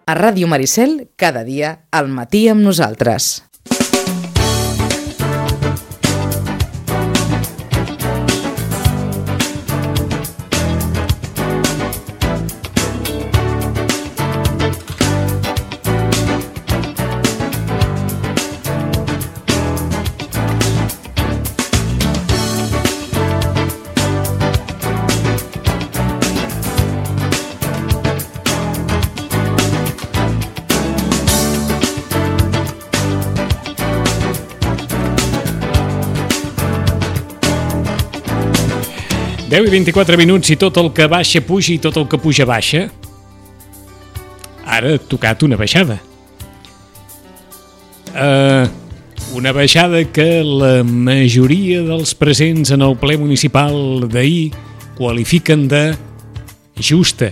A Ràdio Maricel, cada dia, al matí amb nosaltres. I 24 minuts i tot el que baixa puja i tot el que puja baixa. Ara ha tocat una baixada. Una baixada que la majoria dels presents en el ple municipal d'ahir qualifiquen de justa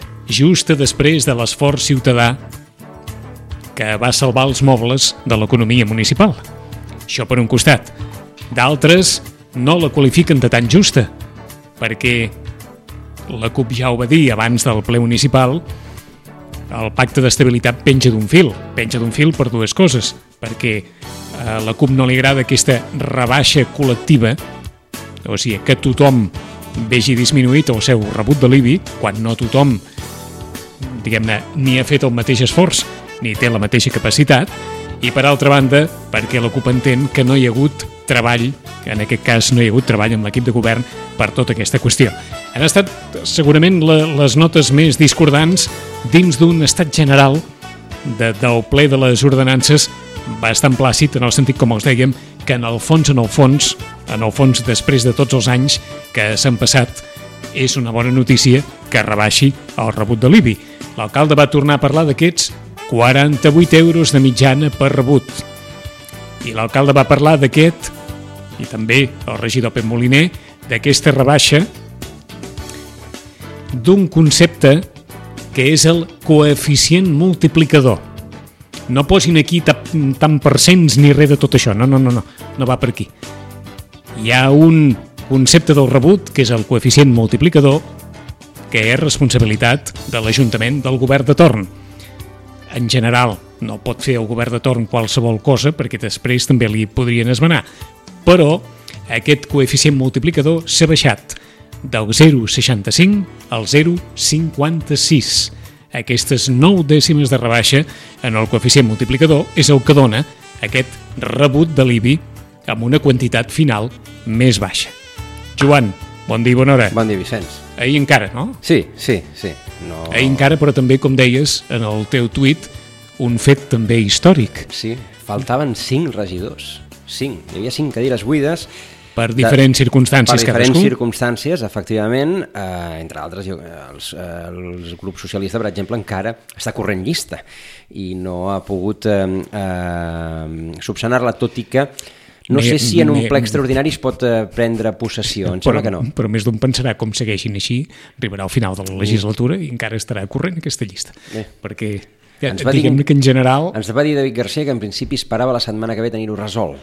després de l'esforç ciutadà que va salvar els mobles de l'economia municipal. Això per un costat. D'altres no la qualifiquen de tan justa, perquè la CUP ja ho va dir abans del ple municipal, el pacte d'estabilitat penja d'un fil per dues coses, perquè a la CUP no li agrada aquesta rebaixa col·lectiva, o sigui, que tothom vegi disminuït el seu rebut de l'IBI, quan no tothom, diguem-ne, ni ha fet el mateix esforç, ni té la mateixa capacitat, i per altra banda, perquè la CUP entén que no hi ha hagut treball, en aquest cas no hi ha hagut treball amb l'equip de govern per tota aquesta qüestió. Han estat segurament les notes més discordants dins d'un estat general del ple de les ordenances bastant plàcid, en el sentit, com els dèiem, que en el fons, després de tots els anys que s'han passat, és una bona notícia que rebaixi el rebut de l'IBI. L'alcalde va tornar a parlar d'aquests 48 euros de mitjana per rebut. I l'alcalde va parlar d'aquest, i també el regidor Pep Moliner, d'aquesta rebaixa d'un concepte que és el coeficient multiplicador. No posin aquí tant percents ni res de tot això, no va per aquí. Hi ha un concepte del rebut, que és el coeficient multiplicador, que és responsabilitat de l'Ajuntament del govern de torn. En general, no pot fer el govern de torn qualsevol cosa, perquè després també li podrien esmenar. Però aquest coeficient multiplicador s'ha baixat del 0,65 al 0,56. Aquestes 9 dècimes de rebaixa en el coeficient multiplicador és el que dona aquest rebut de l'IBI amb una quantitat final més baixa. Joan, bon dia i bona hora. Bon dia, Vicenç. Ahir encara, no? Sí. No... Ahir encara, però també, com deies, en el teu tuit, un fet també històric. Sí, faltaven 5 regidors. 5. Hi havia 5 cadires buides. Per diferents circumstàncies, cadascú. Per diferents circumstàncies, efectivament, entre altres, el grup socialista, per exemple, encara està corrent llista i no ha pogut subsanar-la, tot i que no sé si en un ple extraordinari es pot prendre possessió, em sembla que no. Però més d'un pensarà, com segueixin així, arribarà al final de la legislatura i encara estarà corrent aquesta llista. Perquè, diguem-ne que en general... Ens va dir David Garcia que en principi esperava la setmana que ve tenir-ho resolt.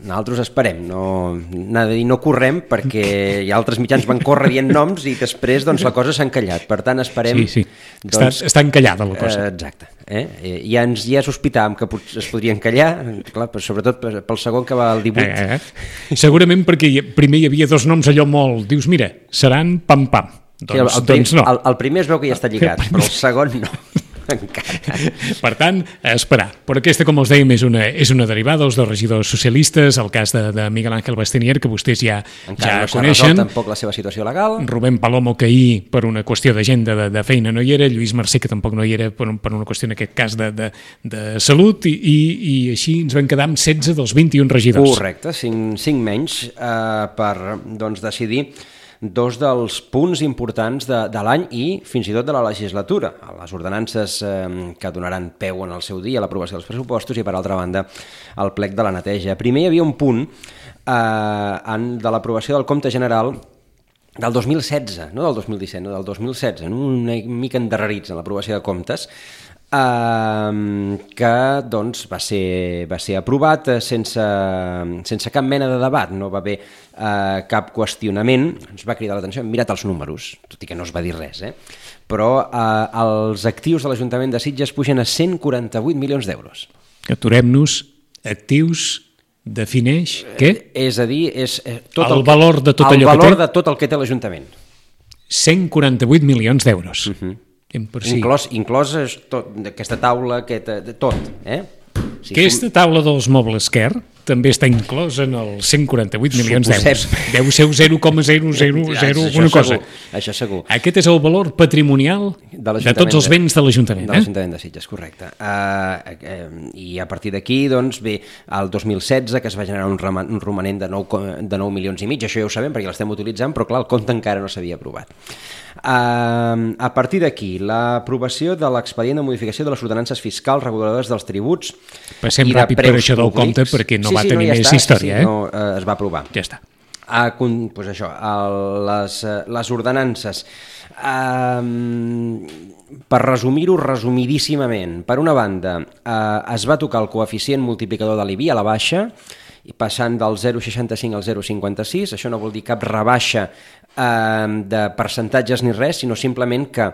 Nosaltres esperem, no correm, perquè hi ha altres mitjans van córrer dient noms i després doncs, la cosa s'ha encallat. Per tant, esperem... Sí. Està encallada la cosa. Exacte. Ja sospitàvem que es podria encallar, clar, sobretot pel segon que va al 18. Segurament perquè primer hi havia 2 noms allò molt... Dius, mira, seran pam-pam. Doncs no. El primer es veu que ja està lligat, però el segon no. Encara. Per tant, a esperar. Però aquesta, com els dèiem, és una derivada dels 2 regidors socialistes, el cas de Miguel Ángel Bastenier, que vostès ja coneixen. Encara no s'ha resolt tampoc la seva situació legal. Rubén Palomo, que ahir, per una qüestió d'agenda de feina, no hi era. Lluís Mercè, que tampoc no hi era per una qüestió, en aquest cas, de salut. I així ens vam quedar amb 16 dels 21 regidors. Correcte, 5 menys per decidir 2 dels punts importants de l'any i fins i tot de la legislatura, les ordenances que donaran peu en el seu dia a l'aprovació dels pressupostos i, per altra banda, el plec de la neteja. Primer hi havia un punt de l'aprovació del compte general del 2016, no del 2017, no del 2016, una mica endarrerits en l'aprovació de comptes, que doncs, va ser aprovat sense cap mena de debat, no va haver cap qüestionament. Ens va cridar l'atenció, hem mirat els números, tot i que no es va dir res, però els actius de l'Ajuntament de Sitges pugen a 148 milions d'euros. Aturem-nos, actius defineix què? És a dir, és tot el valor de tot allò que té? El valor de tot el que té l'Ajuntament. 148 milions d'euros. Inclòs aquesta taula, tot. Aquesta taula dels mobles Quer també està inclosa en els 148 milions d'euros. Deu ser 0,000 alguna cosa. Això segur. Aquest és el valor patrimonial de tots els béns de l'Ajuntament. De l'Ajuntament de Sitges, correcte. I a partir d'aquí, doncs, ve el 2016, que es va generar un romanent de 9 milions i mig. Això ja ho sabem perquè l'estem utilitzant, però clar, el compte encara no s'havia aprovat. A partir d'aquí, l'aprovació de l'expedient de modificació de les ordenances fiscals reguladores dels tributs. Passem ràpid per això del compte perquè no va tenir més història. No, es va aprovar. Ja està. Doncs això, les ordenances, per resumir-ho resumidíssimament, per una banda, es va tocar el coeficient multiplicador de l'IBI a la baixa, passant del 0,65 al 0,56. Això no vol dir cap rebaixa de percentatges ni res, sinó simplement que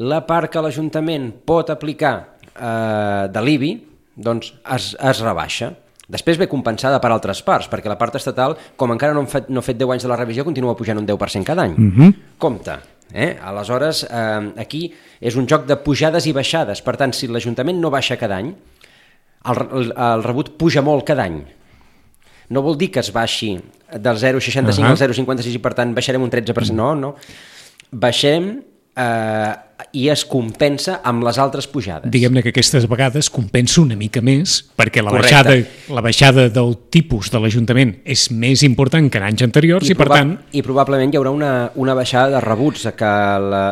la part que l'Ajuntament pot aplicar de l'IBI doncs es rebaixa. Després ve compensada per altres parts, perquè la part estatal, com encara no ha fet 10 anys de la revisió, continua pujant un 10% cada any. Compte. Aleshores, aquí és un joc de pujades i baixades. Per tant, si l'Ajuntament no baixa cada any, el rebut puja molt cada any. No vol dir que es baixi del 0,65 al 0,56 i per tant baixarem un 13%. No. Baixem i es compensa amb les altres pujades. Diguem-ne que aquestes vegades compensa una mica més perquè la baixada del tipus de l'Ajuntament és més important que en anys anteriors i per tant... I probablement hi haurà una baixada de rebuts, que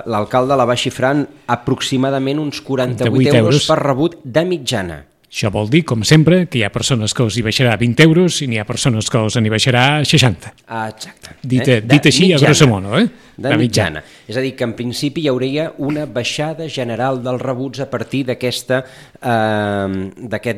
l'alcalde la va xifrant aproximadament uns 48 euros per rebut de mitjana. Això vol dir, com sempre, que hi ha persones que els hi baixarà 20 euros i n'hi ha persones que els n'hi baixarà 60. Exacte. Dit així, a grosso modo. De mitjana. És a dir, que en principi hi hauria una baixada general dels rebuts a partir d'aquest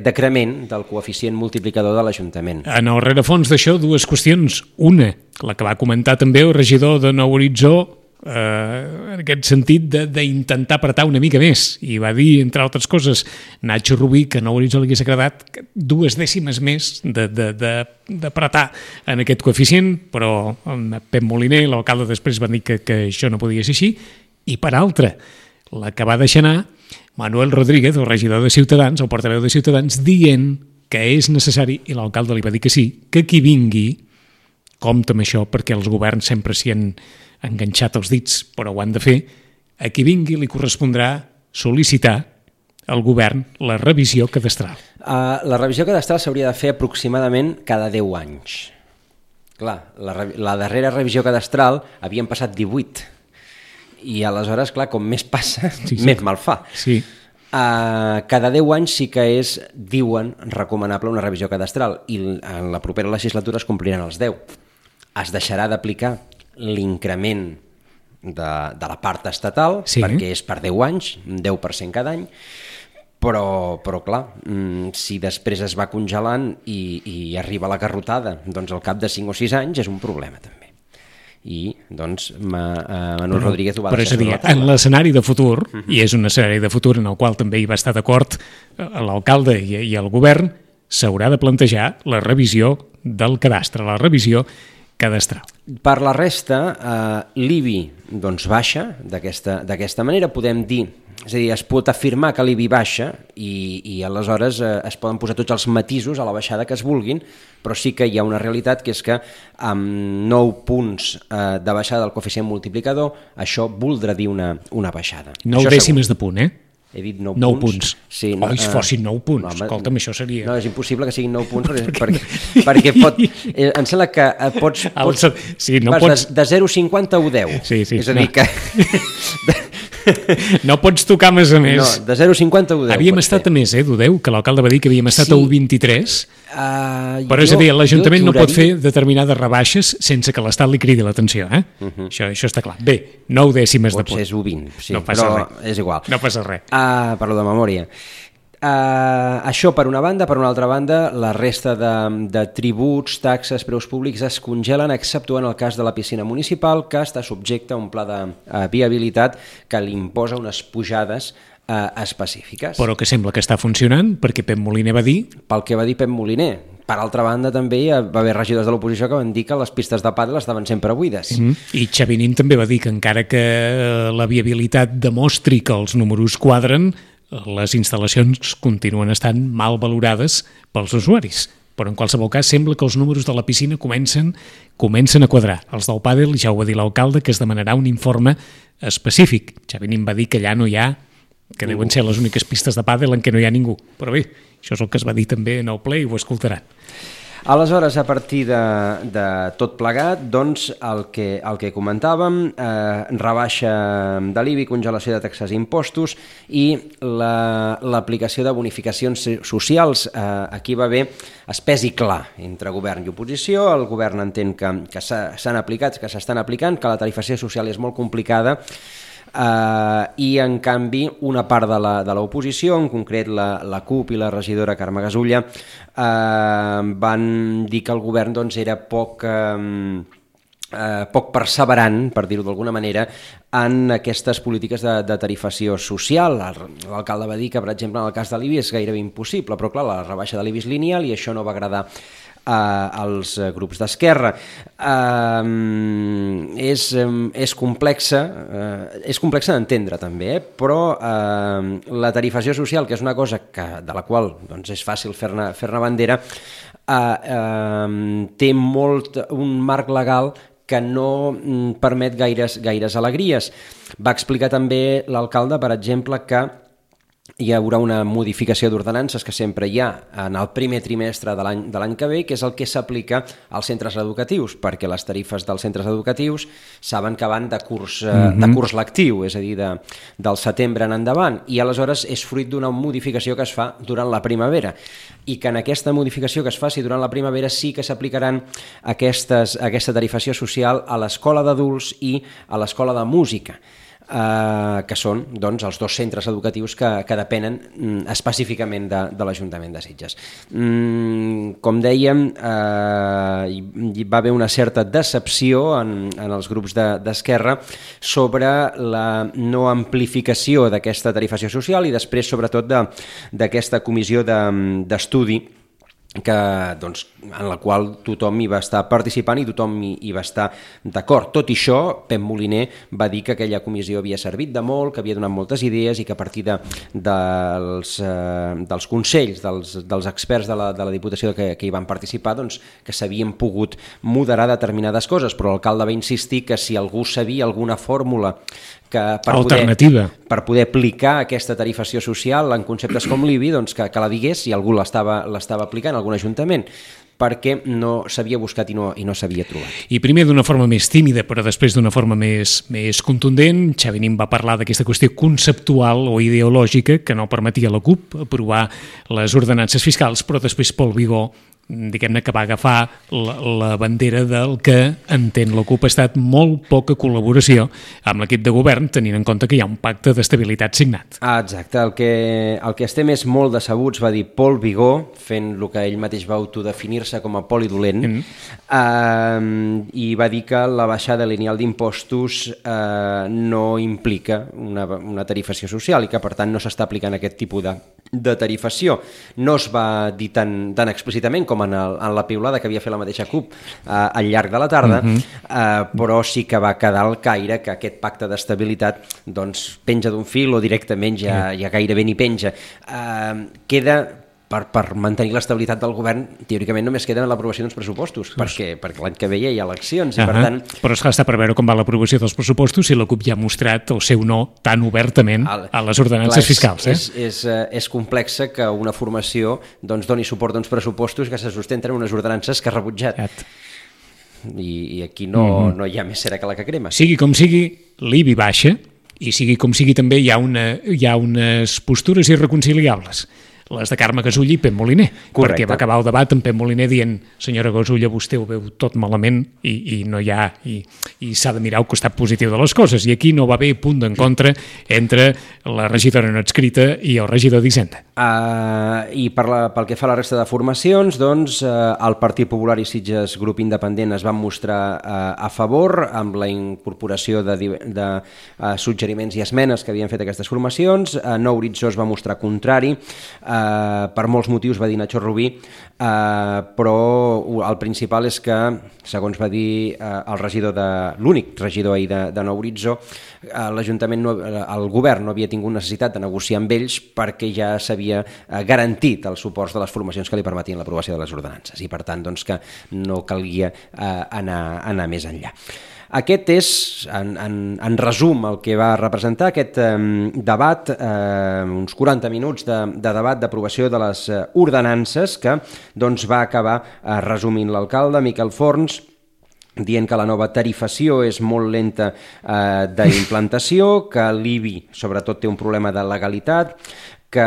decrement del coeficient multiplicador de l'Ajuntament. En el rerefons d'això, dues qüestions. Una, la que va comentar també el regidor de Nou Horitzó, en aquest sentit d'intentar apretar una mica més, i va dir, entre altres coses, Nacho Rubí, que a Nou Horitzó li hagués agradat 2 dècimes més d'apretar en aquest coeficient, però Pep Moliner, l'alcalde, després va dir que això no podia ser així. I per altra, la que va deixar anar Manuel Rodríguez, el regidor de Ciutadans, el portaveu de Ciutadans, dient que és necessari, i l'alcalde li va dir que sí, que qui vingui, compta amb això, perquè els governs sempre s'hi han enganxat els dits, però ho han de fer, a qui vingui li correspondrà sol·licitar al govern la revisió cadastral. La revisió cadastral s'hauria de fer aproximadament cada 10 anys. Clar, la darrera revisió cadastral havien passat 18, i aleshores, clar, com més passa, més mal fa. Sí. Cada 10 anys sí que és, diuen, recomanable una revisió cadastral, i en la propera legislatura es compliran els 10. Es deixarà d'aplicar l'increment de la part estatal, perquè és per 10 anys, 10% cada any, però clar, si després es va congelant i arriba la garrotada, doncs al cap de 5 o 6 anys és un problema també. I doncs Manuel Rodríguez ho va deixar sobre la taula. En l'escenari de futur, i és un escenari de futur en el qual també hi va estar d'acord l'alcalde i el govern, s'haurà de plantejar la revisió del cadastre, la revisió cadastral. Per la resta, l'IBI doncs baixa d'aquesta manera, podem dir, és a dir, es pot afirmar que l'IBI baixa i aleshores es poden posar tots els matisos a la baixada que es vulguin, però sí que hi ha una realitat que és que amb 9 punts de baixada del coeficient multiplicador això voldrà dir una baixada. 9 dècimes de punt, He dit 9 punts. Sí, si fossin 9 punts, escolta'm, això seria... No, és impossible que siguin 9 punts perquè pot... Em sembla que pots sí, no pots... de 0,50 a 10. Sí, és a dir que... No pots tocar més a més. No, de 0,50 a 1,10. Havíem estat a més, d'1,10, que l'alcalde va dir que havíem estat a 1,23. Però és a dir, l'Ajuntament no pot fer determinades rebaixes sense que l'Estat li cridi l'atenció. Això està clar. Bé, 9 dècimes de punt. Potser és 1,20, sí, no passa però res. és igual. No passa res. Parlo de memòria. Això per una banda. Per una altra banda, la resta de tributs, taxes, preus públics es congelen, exceptuant el cas de la piscina municipal, que està subjecte a un pla de viabilitat que li imposa unes pujades específiques. Però que sembla que està funcionant, perquè Pep Moliner va dir... Pel que va dir Pep Moliner. Per altra banda, també hi va haver regidors de l'oposició que van dir que les pistes de pàdel estaven sempre buides. I Xavi Nin també va dir que encara que la viabilitat demostri que els números quadren, les instal·lacions continuen estant mal valorades pels usuaris. Però en qualsevol cas sembla que els números de la piscina comencen a quadrar. Els del pàdel, ja ho va dir l'alcalde, que es demanarà un informe específic. Xavi Nin va dir que allà no hi ha, que deuen ser les úniques pistes de pàdel en què no hi ha ningú. Però bé, això és el que es va dir també en el ple i ho escoltaran. Aleshores, a partir de tot plegat, doncs, el que comentàvem, rebaixa de l'IBI, congelació de taxes i impostos i l'aplicació de bonificacions socials. Aquí va haver espès i clar entre govern i oposició. El govern entén que s'han aplicat, que s'estan aplicant, que la tarifació social és molt complicada, i en canvi una part de l'oposició, en concret la CUP i la regidora Carme Gasulla, van dir que el govern doncs, era poc perseverant, per dir-ho d'alguna manera, en aquestes polítiques de tarifació social. L'alcalde va dir que, per exemple, en el cas de l'IBI és gairebé impossible, però clar, la rebaixa de l'IBI és lineal i això no va agradar als grups d'Esquerra. És complexa d'entendre també, però la tarifació social, que és una cosa de la qual doncs, és fàcil fer-ne bandera, té un marc legal que no permet gaires alegries. Va explicar també l'alcalde, per exemple, que hi haurà una modificació d'ordenances que sempre hi ha en el primer trimestre de l'any que ve, que és el que s'aplica als centres educatius, perquè les tarifes dels centres educatius saben que van de curs lectiu, és a dir, del setembre en endavant, i aleshores és fruit d'una modificació que es fa durant la primavera, i que en aquesta modificació que es faci durant la primavera sí que s'aplicaran aquesta tarifació social a l'escola d'adults i a l'escola de música, que són doncs, els dos centres educatius que depenen específicament de l'Ajuntament de Sitges. Com dèiem, hi va haver una certa decepció en els grups d'Esquerra sobre la no amplificació d'aquesta tarifació social i després, sobretot, d'aquesta comissió d'estudi doncs, en la qual tothom hi va estar participant i tothom hi va estar d'acord. Tot i això, Pep Moliner va dir que aquella comissió havia servit de molt, que havia donat moltes idees i que a partir dels consells, dels experts de la Diputació que hi van participar, doncs, que s'havien pogut moderar determinades coses, però l'alcalde va insistir que si algú sabia alguna fórmula alternativa per poder aplicar aquesta tarifació social en conceptes com l'IBI, doncs que la digués si algú l'estava aplicant, algun ajuntament, perquè no s'havia buscat i no s'havia trobat. I primer d'una forma més tímida, però després d'una forma més contundent, Xavi Nin va parlar d'aquesta qüestió conceptual o ideològica que no permetia a la CUP aprovar les ordenances fiscals, però després Pol Vigó, diguem-ne, que va agafar la bandera del que entén la CUP ha estat molt poca col·laboració amb l'equip de govern, tenint en compte que hi ha un pacte d'estabilitat signat. Exacte, el que estem és molt decebuts, va dir Pol Vigó, fent el que ell mateix va autodefinir-se com a polidolent, i va dir que la baixada lineal d'impostos no implica una tarifació social i que per tant no s'està aplicant aquest tipus de tarifació. No es va dir tan explícitament com en la piulada que havia fet la mateixa CUP al llarg de la tarda, però sí que va quedar al caire que aquest pacte d'estabilitat doncs, penja d'un fil o directament ja gairebé ni penja. Queda, per mantenir l'estabilitat del govern, teòricament només queda l'aprovació d'uns pressupostos, perquè l'any que ve hi ha eleccions. I per tant... Però està per veure com va l'aprovació dels pressupostos si la CUP ja ha mostrat el seu no tan obertament a les ordenances fiscals. És complexa que una formació doni suport a uns pressupostos que se sustenten en unes ordenances que ha rebutjat. I aquí no hi ha més cera que la que crema. Sigui com sigui, l'IBI baixa i sigui com sigui també hi ha unes postures irreconciliables, les de Carme Gasull i Pep Moliner. Correcte. Perquè va acabar el debat amb Pep Moliner dient senyora Gasull, vostè ho veu tot malament i no hi ha, i s'ha de mirar el costat positiu de les coses, i aquí no va haver punt d'encontre entre la regidora no adscrita i el regidor d'Hisenda. I pel que fa a la resta de formacions, doncs el Partit Popular i Sitges Grup Independent es van mostrar a favor amb la incorporació de suggeriments i esmenes que havien fet aquestes formacions. Nou Horitzó es va mostrar contrari, per molts motius, va dir Nacho Rubí, però el principal és que, segons va dir l'únic regidor ahir de Nou Horitzó, l'Ajuntament, el govern no havia tingut necessitat de negociar amb ells perquè ja s'havia garantit el suport de les formacions que li permetien l'aprovació de les ordenances i, per tant, doncs, que no calia anar més enllà. Aquest és, en resum, el que va representar aquest debat, uns 40 minuts de debat d'aprovació de les ordenances que doncs, va acabar resumint l'alcalde Miquel Forns, dient que la nova tarifació és molt lenta d'implantació, que l'IBI sobretot té un problema de legalitat, que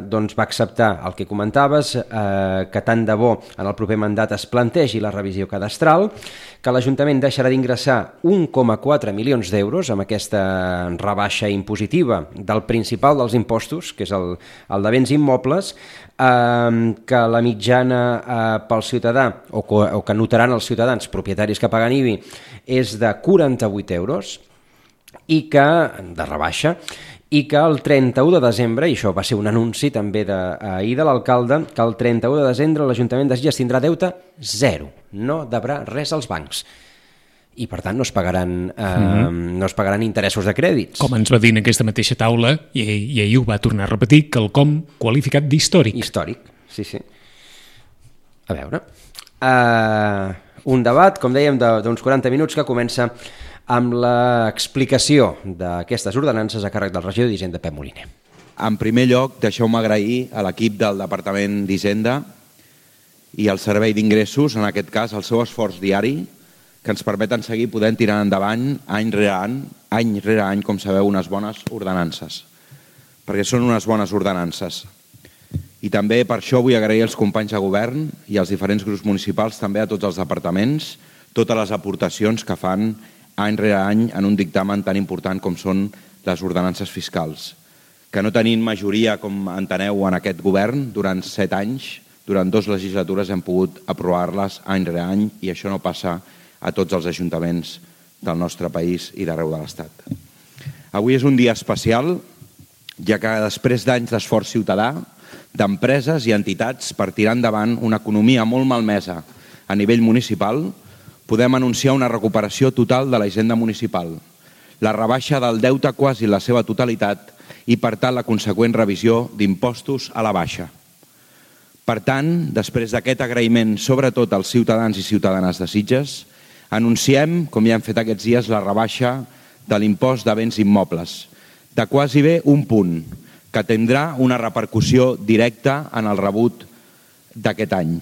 doncs, va acceptar el que comentaves, que tant de bo en el proper mandat es plantegi la revisió cadastral, que l'Ajuntament deixarà d'ingressar 1,4 milions d'euros amb aquesta rebaixa impositiva del principal dels impostos, que és el de béns immobles, que la mitjana pel ciutadà, o que notaran els ciutadans propietaris que paguen IBI, és de 48 euros, i que, de rebaixa, i que el 31 de desembre, i això va ser un anunci també ahir de l'alcalde, que el 31 de desembre l'Ajuntament de Sitges tindrà deute zero, no deurà res als bancs. I, per tant, no es pagaran interessos de crèdits. Com ens va dir en aquesta mateixa taula, i ahir ho va tornar a repetir, quelcom qualificat d'històric. Històric, sí. A veure. Un debat, com dèiem, d'uns 40 minuts que comença amb l'explicació d'aquestes ordenances a càrrec del regidor d'Hisenda, Pep Moliner. En primer lloc, deixeu-me agrair a l'equip del Departament d'Hisenda i al Servei d'Ingressos, en aquest cas, el seu esforç diari, que ens permeten seguir podent tirar endavant any rere any, com sabeu, unes bones ordenances, perquè són unes bones ordenances. I també per això vull agrair als companys de govern i als diferents grups municipals, també a tots els departaments, totes les aportacions que fan any rere any en un dictamen tan important com són les ordenances fiscals, que no tenint majoria, com enteneu, en aquest govern, durant 7 anys, durant 2 legislatures hem pogut aprovar-les any rere any, i això no passa a tots els ajuntaments del nostre país i d'arreu de l'Estat. Avui és un dia especial, ja que després d'anys d'esforç ciutadà, d'empreses i entitats per tirar endavant una economia molt malmesa a nivell municipal, podem anunciar una recuperació total de la hisenda municipal, la rebaixa del deute quasi la seva totalitat i, per tant, la conseqüent revisió d'impostos a la baixa. Per tant, després d'aquest agraïment, sobretot als ciutadans i ciutadanes de Sitges, anunciem, com ja hem fet aquests dies, la rebaixa de l'impost de béns immobles, de quasi bé un punt, que tindrà una repercussió directa en el rebut d'aquest any.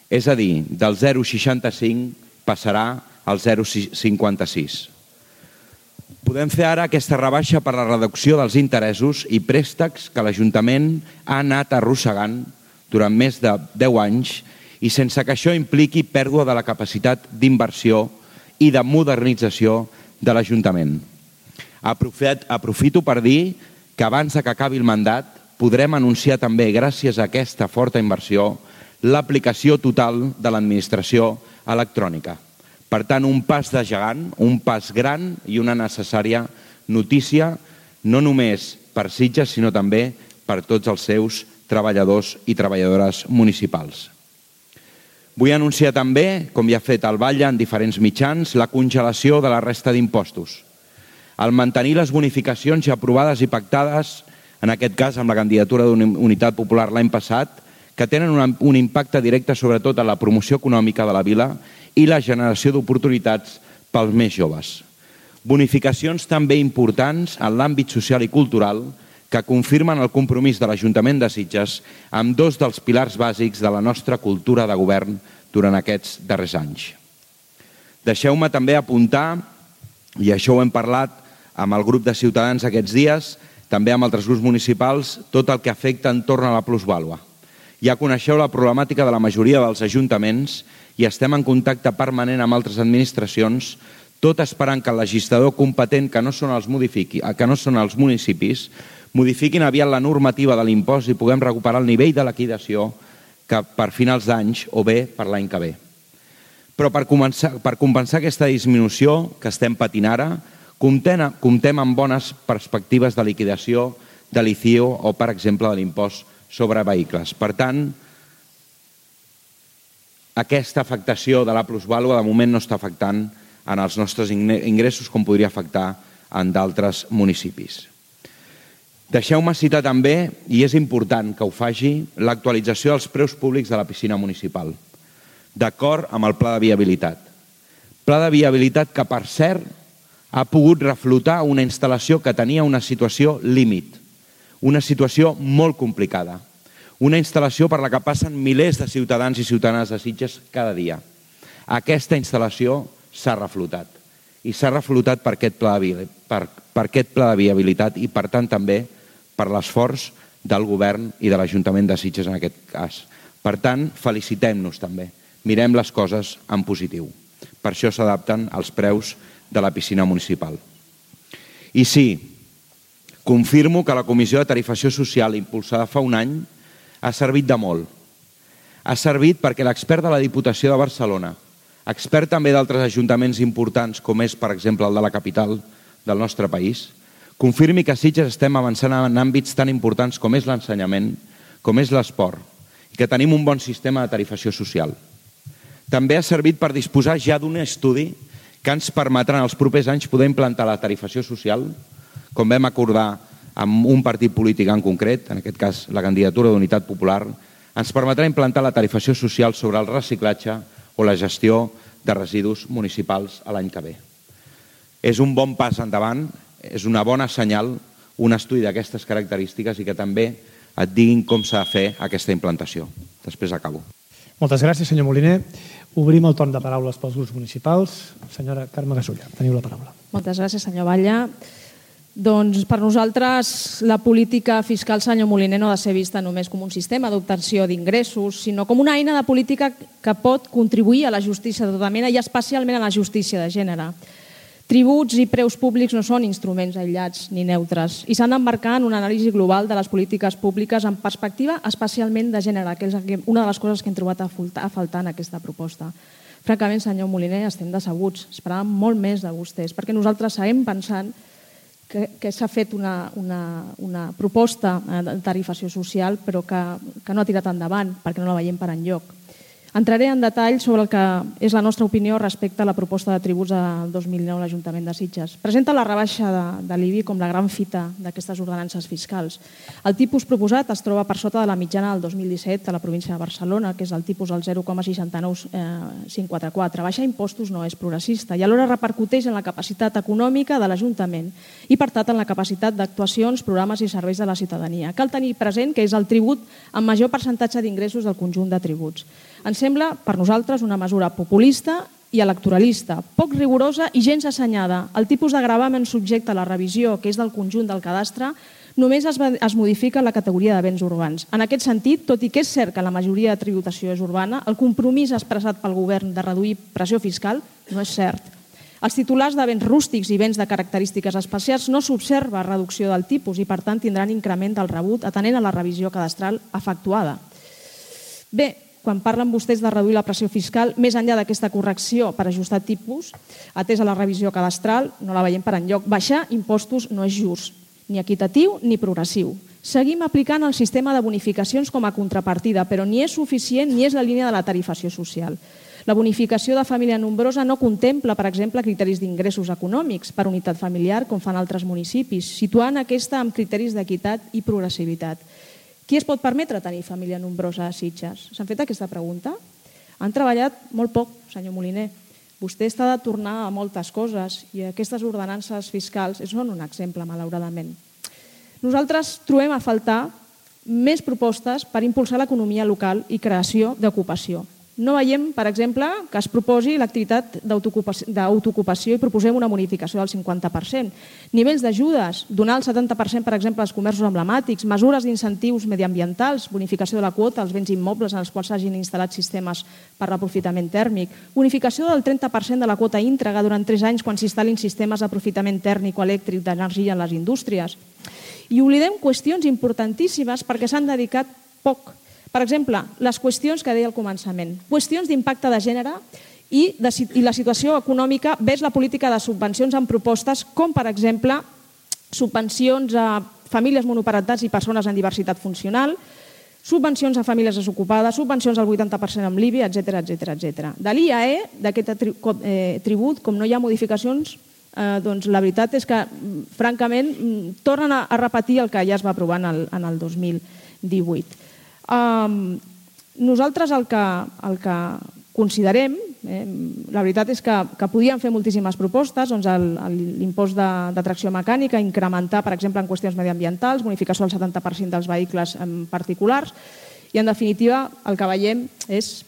És a dir, del 0,65 passarà al 0,56. Podem fer ara aquesta rebaixa per la reducció dels interessos i préstecs que l'Ajuntament ha anat arrossegant durant més de 10 anys i sense que això impliqui pèrdua de la capacitat d'inversió i de modernització de l'Ajuntament. Aprofito per dir que abans que acabi el mandat podrem anunciar també, gràcies a aquesta forta inversió, l'aplicació total de l'administració electrònica. Per tant, un pas de gegant, un pas gran i una necessària notícia, no només per Sitges, sinó també per tots els seus treballadors i treballadores municipals. Vull anunciar també, com ja ha fet el Batlle en diferents mitjans, la congelació de la resta d'impostos. Al mantenir les bonificacions ja aprovades i pactades, en aquest cas amb la candidatura d'Unitat Popular l'any passat, que tenen un impacte directe sobretot a la promoció econòmica de la vila i la generació d'oportunitats pels més joves. Bonificacions també importants en l'àmbit social i cultural que confirmen el compromís de l'Ajuntament de Sitges amb 2 dels pilars bàsics de la nostra cultura de govern durant aquests darrers anys. Deixeu-me també apuntar, i això ho hem parlat amb el grup de Ciutadans aquests dies, també amb altres grups municipals, tot el que afecta entorn a la plusvàlua. Ja coneixeu la problemàtica de la majoria dels ajuntaments i estem en contacte permanent amb altres administracions, tot esperant que el legislador competent, que no són els municipis, modifiquin aviat la normativa de l'impost i puguem recuperar el nivell de liquidació que per finals d'anys o bé per l'any que ve. Però per compensar aquesta disminució que estem patint ara, comptem amb bones perspectives de liquidació de l'ICIO o, per exemple, de l'impost sobre vehicles. Per tant, aquesta afectació de la plusvàlua de moment no està afectant en els nostres ingressos com podria afectar en d'altres municipis. Deixeu-me citar també, i és important que ho faci, l'actualització dels preus públics de la piscina municipal, d'acord amb el pla de viabilitat. Pla de viabilitat que, per cert, ha pogut reflotar una instal·lació que tenia una situació límit, una situació molt complicada, una instal·lació per la que passen milers de ciutadans i ciutadanes de Sitges cada dia. Aquesta instal·lació s'ha reflotat i s'ha reflotat per aquest pla de viabilitat i, per tant, també per l'esforç del govern i de l'Ajuntament de Sitges en aquest cas. Per tant, felicitem-nos també. Mirem les coses en positiu. Per això s'adapten els preus de la piscina municipal. I sí, confirmo que la Comissió de Tarifació Social impulsada fa un any ha servit de molt. Ha servit perquè l'expert de la Diputació de Barcelona, expert també d'altres ajuntaments importants, com és, per exemple, el de la capital del nostre país, confirmi que a Sitges estem avançant en àmbits tan importants com és l'ensenyament, com és l'esport, i que tenim un bon sistema de tarifació social. També ha servit per disposar ja d'un estudi que ens permetrà en els propers anys poder implantar la tarifació social, com vam acordar amb un partit polític en concret, en aquest cas la candidatura d'Unitat Popular, ens permetrà implantar la tarifació social sobre el reciclatge o la gestió de residus municipals l'any que ve. És un bon pas endavant, és una bona senyal, un estudi d'aquestes característiques i que també et diguin com s'ha de fer aquesta implantació. Després acabo. Moltes gràcies, senyor Moliner. Obrim el torn de paraules pels grups municipals. Senyora Carme Gasulla, teniu la paraula. Moltes gràcies, senyor Batlle. Doncs per nosaltres la política fiscal, senyor Moliner, no ha de ser vista només com un sistema d'obtenció d'ingressos, sinó com una eina de política que pot contribuir a la justícia de tota mena i especialment a la justícia de gènere. Tributs i preus públics no són instruments aïllats ni neutres i s'han d'embarcar en una anàlisi global de les polítiques públiques en perspectiva especialment de gènere, que és una de les coses que hem trobat a faltar en aquesta proposta. Francament, senyor Moliner, estem decebuts. Esperàvem molt més de vostès, perquè nosaltres seguim pensant que s'ha fet una proposta de tarifació social però que no ha tirat endavant perquè no la veiem per enlloc. Entraré en detall sobre el que és la nostra opinió respecte a la proposta de tributs del 2009 a l'Ajuntament de Sitges. Presenta la rebaixa de l'IBI com la gran fita d'aquestes ordenances fiscals. El tipus proposat es troba per sota de la mitjana del 2017 a la província de Barcelona, que és el tipus del 0,69544. Baixar impostos no és progressista i alhora repercuteix en la capacitat econòmica de l'Ajuntament i, per tant, en la capacitat d'actuacions, programes i serveis de la ciutadania. Cal tenir present que és el tribut amb major percentatge d'ingressos del conjunt de tributs. Ens sembla, per nosaltres, una mesura populista i electoralista, poc rigorosa i gens assenyada. El tipus de gravamen subjecte a la revisió, que és del conjunt del cadastre, només es modifica la categoria de béns urbans. En aquest sentit, tot i que és cert que la majoria de tributació és urbana, el compromís expressat pel govern de reduir pressió fiscal no és cert. Els titulars de béns rústics i béns de característiques especials no s'observa reducció del tipus i, per tant, tindran increment del rebut atenent a la revisió cadastral efectuada. Bé, quan parlen vostès de reduir la pressió fiscal, més enllà d'aquesta correcció per ajustar tipus, atès a la revisió cadastral, no la veiem per enlloc. Baixar impostos no és just, ni equitatiu ni progressiu. Seguim aplicant el sistema de bonificacions com a contrapartida, però ni és suficient ni és la línia de la tarifació social. La bonificació de família nombrosa no contempla, per exemple, criteris d'ingressos econòmics per unitat familiar, com fan altres municipis, situant aquesta amb criteris d'equitat i progressivitat. Qui es pot permetre tenir família nombrosa a Sitges? S'han fet aquesta pregunta? Han treballat molt poc, senyor Moliner. Vostè està de tornar a moltes coses i aquestes ordenances fiscals són un exemple, malauradament. Nosaltres trobem a faltar més propostes per impulsar l'economia local i creació d'ocupació. No veiem, per exemple, que es proposi l'activitat d'autoocupació i proposem una bonificació del 50%. Nivells d'ajudes, donar el 70%, per exemple, als comerços emblemàtics, mesures d'incentius mediambientals, bonificació de la quota als béns immobles en els quals s'hagin instal·lat sistemes per l'aprofitament tèrmic, bonificació del 30% de la quota íntegra durant 3 anys quan s'instal·lin sistemes d'aprofitament tèrmic o elèctric d'energia en les indústries. I oblidem qüestions importantíssimes perquè s'han dedicat poc. Per exemple, les qüestions que deia al començament, qüestions d'impacte de gènere i la situació econòmica vers la política de subvencions amb propostes com, per exemple, subvencions a famílies monoparentats i persones amb diversitat funcional, subvencions a famílies desocupades, subvencions al 80% amb l'IBI, etc. De l'IAE, d'aquest tribut, com no hi ha modificacions, doncs la veritat és que, francament, tornen a repetir el que ja es va aprovar en el 2018. Nosaltres el que considerem, la veritat és que podíem fer moltíssimes propostes, doncs l'impost de tracció mecànica, incrementar, per exemple, en qüestions mediambientals, bonificació del 70% dels vehicles particulars, i en definitiva el que veiem és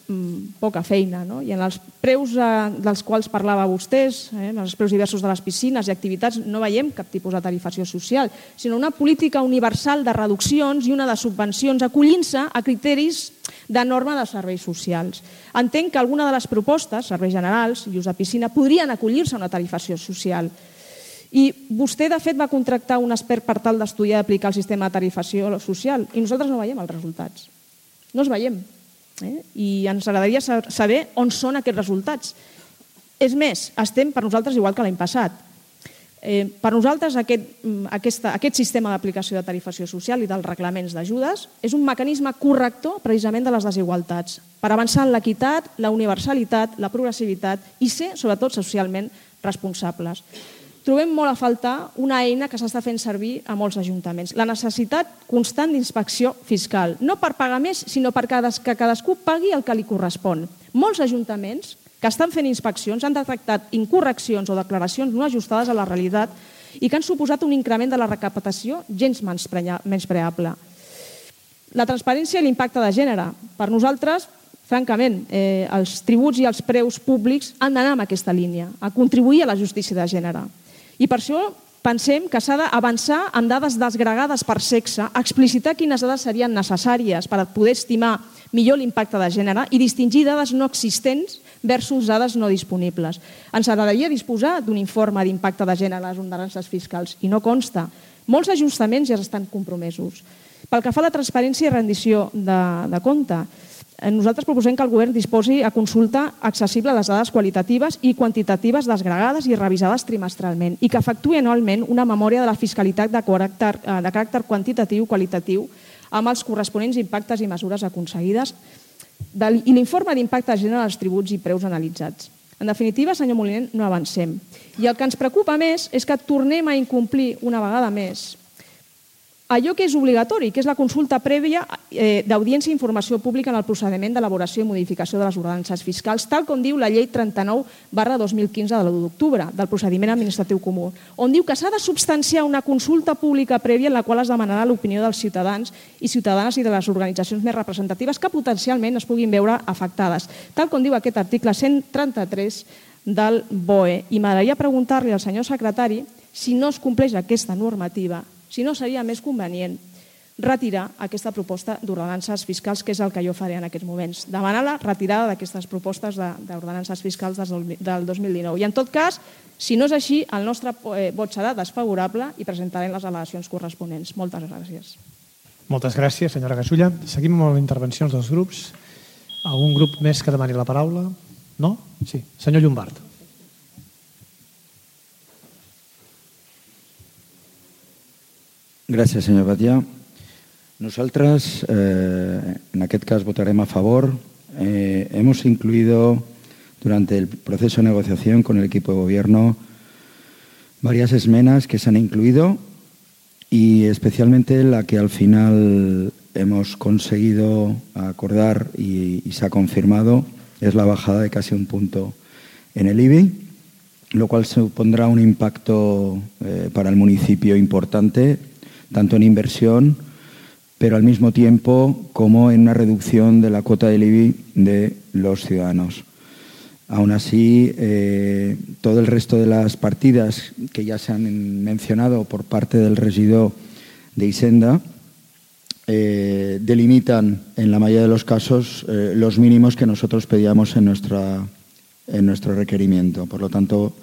poca feina. I en els preus dels quals parlava vostès, els preus diversos de les piscines i activitats, no veiem cap tipus de tarifació social, sinó una política universal de reduccions i una de subvencions acollint-se a criteris de norma de serveis socials. Entenc que alguna de les propostes, serveis generals i ús de piscina, podrien acollir-se a una tarifació social. I vostè, de fet, va contractar un expert per tal d'estudiar i aplicar el sistema de tarifació social i nosaltres no veiem els resultats. No els veiem. I ens agradaria saber on són aquests resultats. És més, estem per nosaltres igual que l'any passat. Per nosaltres aquest sistema d'aplicació de tarifació social i dels reglaments d'ajudes és un mecanisme corrector precisament de les desigualtats per avançar en l'equitat, la universalitat, la progressivitat i ser, sobretot, socialment responsables. Trobem molt a faltar una eina que s'està fent servir a molts ajuntaments, la necessitat constant d'inspecció fiscal, no per pagar més, sinó perquè cadascú pagui el que li correspon. Molts ajuntaments que estan fent inspeccions han detectat incorreccions o declaracions no ajustades a la realitat i que han suposat un increment de la recaptació gens menyspreable. La transparència i l'impacte de gènere. Per nosaltres, francament, els tributs i els preus públics han d'anar en aquesta línia, a contribuir a la justícia de gènere. I per això pensem que s'ha d'avançar amb dades desgregades per sexe, explicitar quines dades serien necessàries per poder estimar millor l'impacte de gènere i distingir dades no existents versus dades no disponibles. Ens agradaria disposar d'un informe d'impacte de gènere a les ordenances fiscals i no consta. Molts ajustaments ja estan compromesos. Pel que fa a la transparència i rendició de compte, nosaltres proposem que el govern disposi a consulta accessible les dades qualitatives i quantitatives desgregades i revisades trimestralment i que efectuï anualment una memòria de la fiscalitat de caràcter quantitatiu i qualitatiu amb els corresponents impactes i mesures aconseguides i l'informe d'impacte de gènere dels tributs i preus analitzats. En definitiva, senyor Moliner, no avancem. I el que ens preocupa més és que tornem a incomplir una vegada més allò que és obligatori, que és la consulta prèvia d'audiència i informació pública en el procediment d'elaboració i modificació de les ordenances fiscals, tal com diu la llei 39/2015 de l'1 d'octubre del procediment administratiu comú, on diu que s'ha de substanciar una consulta pública prèvia en la qual es demanarà l'opinió dels ciutadans i ciutadanes i de les organitzacions més representatives que potencialment es puguin veure afectades, tal com diu aquest article 133 del BOE. I m'agradaria preguntar-li al senyor secretari si no es compleix aquesta normativa, si no seria més convenient retirar aquesta proposta d'ordenances fiscals, que és el que jo faré en aquests moments. Demanar la retirada d'aquestes propostes d'ordenances fiscals del 2019. I en tot cas, si no és així, el nostre vot serà desfavorable i presentarem les al·legacions corresponents. Moltes gràcies. Moltes gràcies, senyora Gasulla. Seguim amb les intervencions dels grups. Algun grup més que demani la paraula? No? Sí. Senyor Llombart. Gràcies, senyor Batllà. Nosaltres, en aquest cas, votarem a favor. Hemos incluido durante el proceso de negociación con el equipo de gobierno varias esmenas que se han incluido y especialmente la que al final hemos conseguido acordar y se ha confirmado es la bajada de casi un punto en el IBI, lo cual supondrá un impacto para el municipio importante, tanto en inversión pero al mismo tiempo como en una reducción de la cuota del IBI de los ciudadanos. Aún así, todo el resto de las partidas que ya se han mencionado por parte del regidor de Hisenda delimitan en la mayoría de los casos los mínimos que nosotros pedíamos en nuestro requerimiento. Por lo tanto,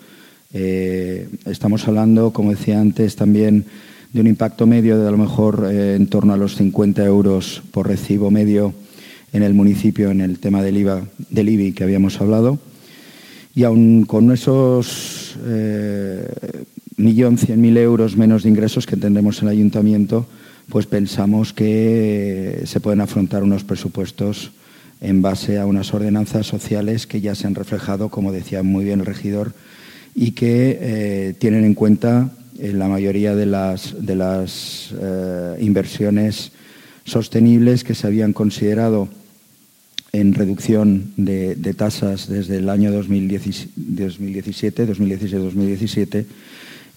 estamos hablando, como decía antes, también de un impacto medio de a lo mejor en torno a los 50 euros por recibo medio en el municipio en el tema del IBI que habíamos hablado. Y aún con esos 1.100.000 euros menos de ingresos que tendremos en el ayuntamiento, pues pensamos que se pueden afrontar unos presupuestos en base a unas ordenanzas sociales que ya se han reflejado, como decía muy bien el regidor, y que tienen en cuenta la mayoría de las inversiones sostenibles que se habían considerado en reducción de tasas desde el año 2017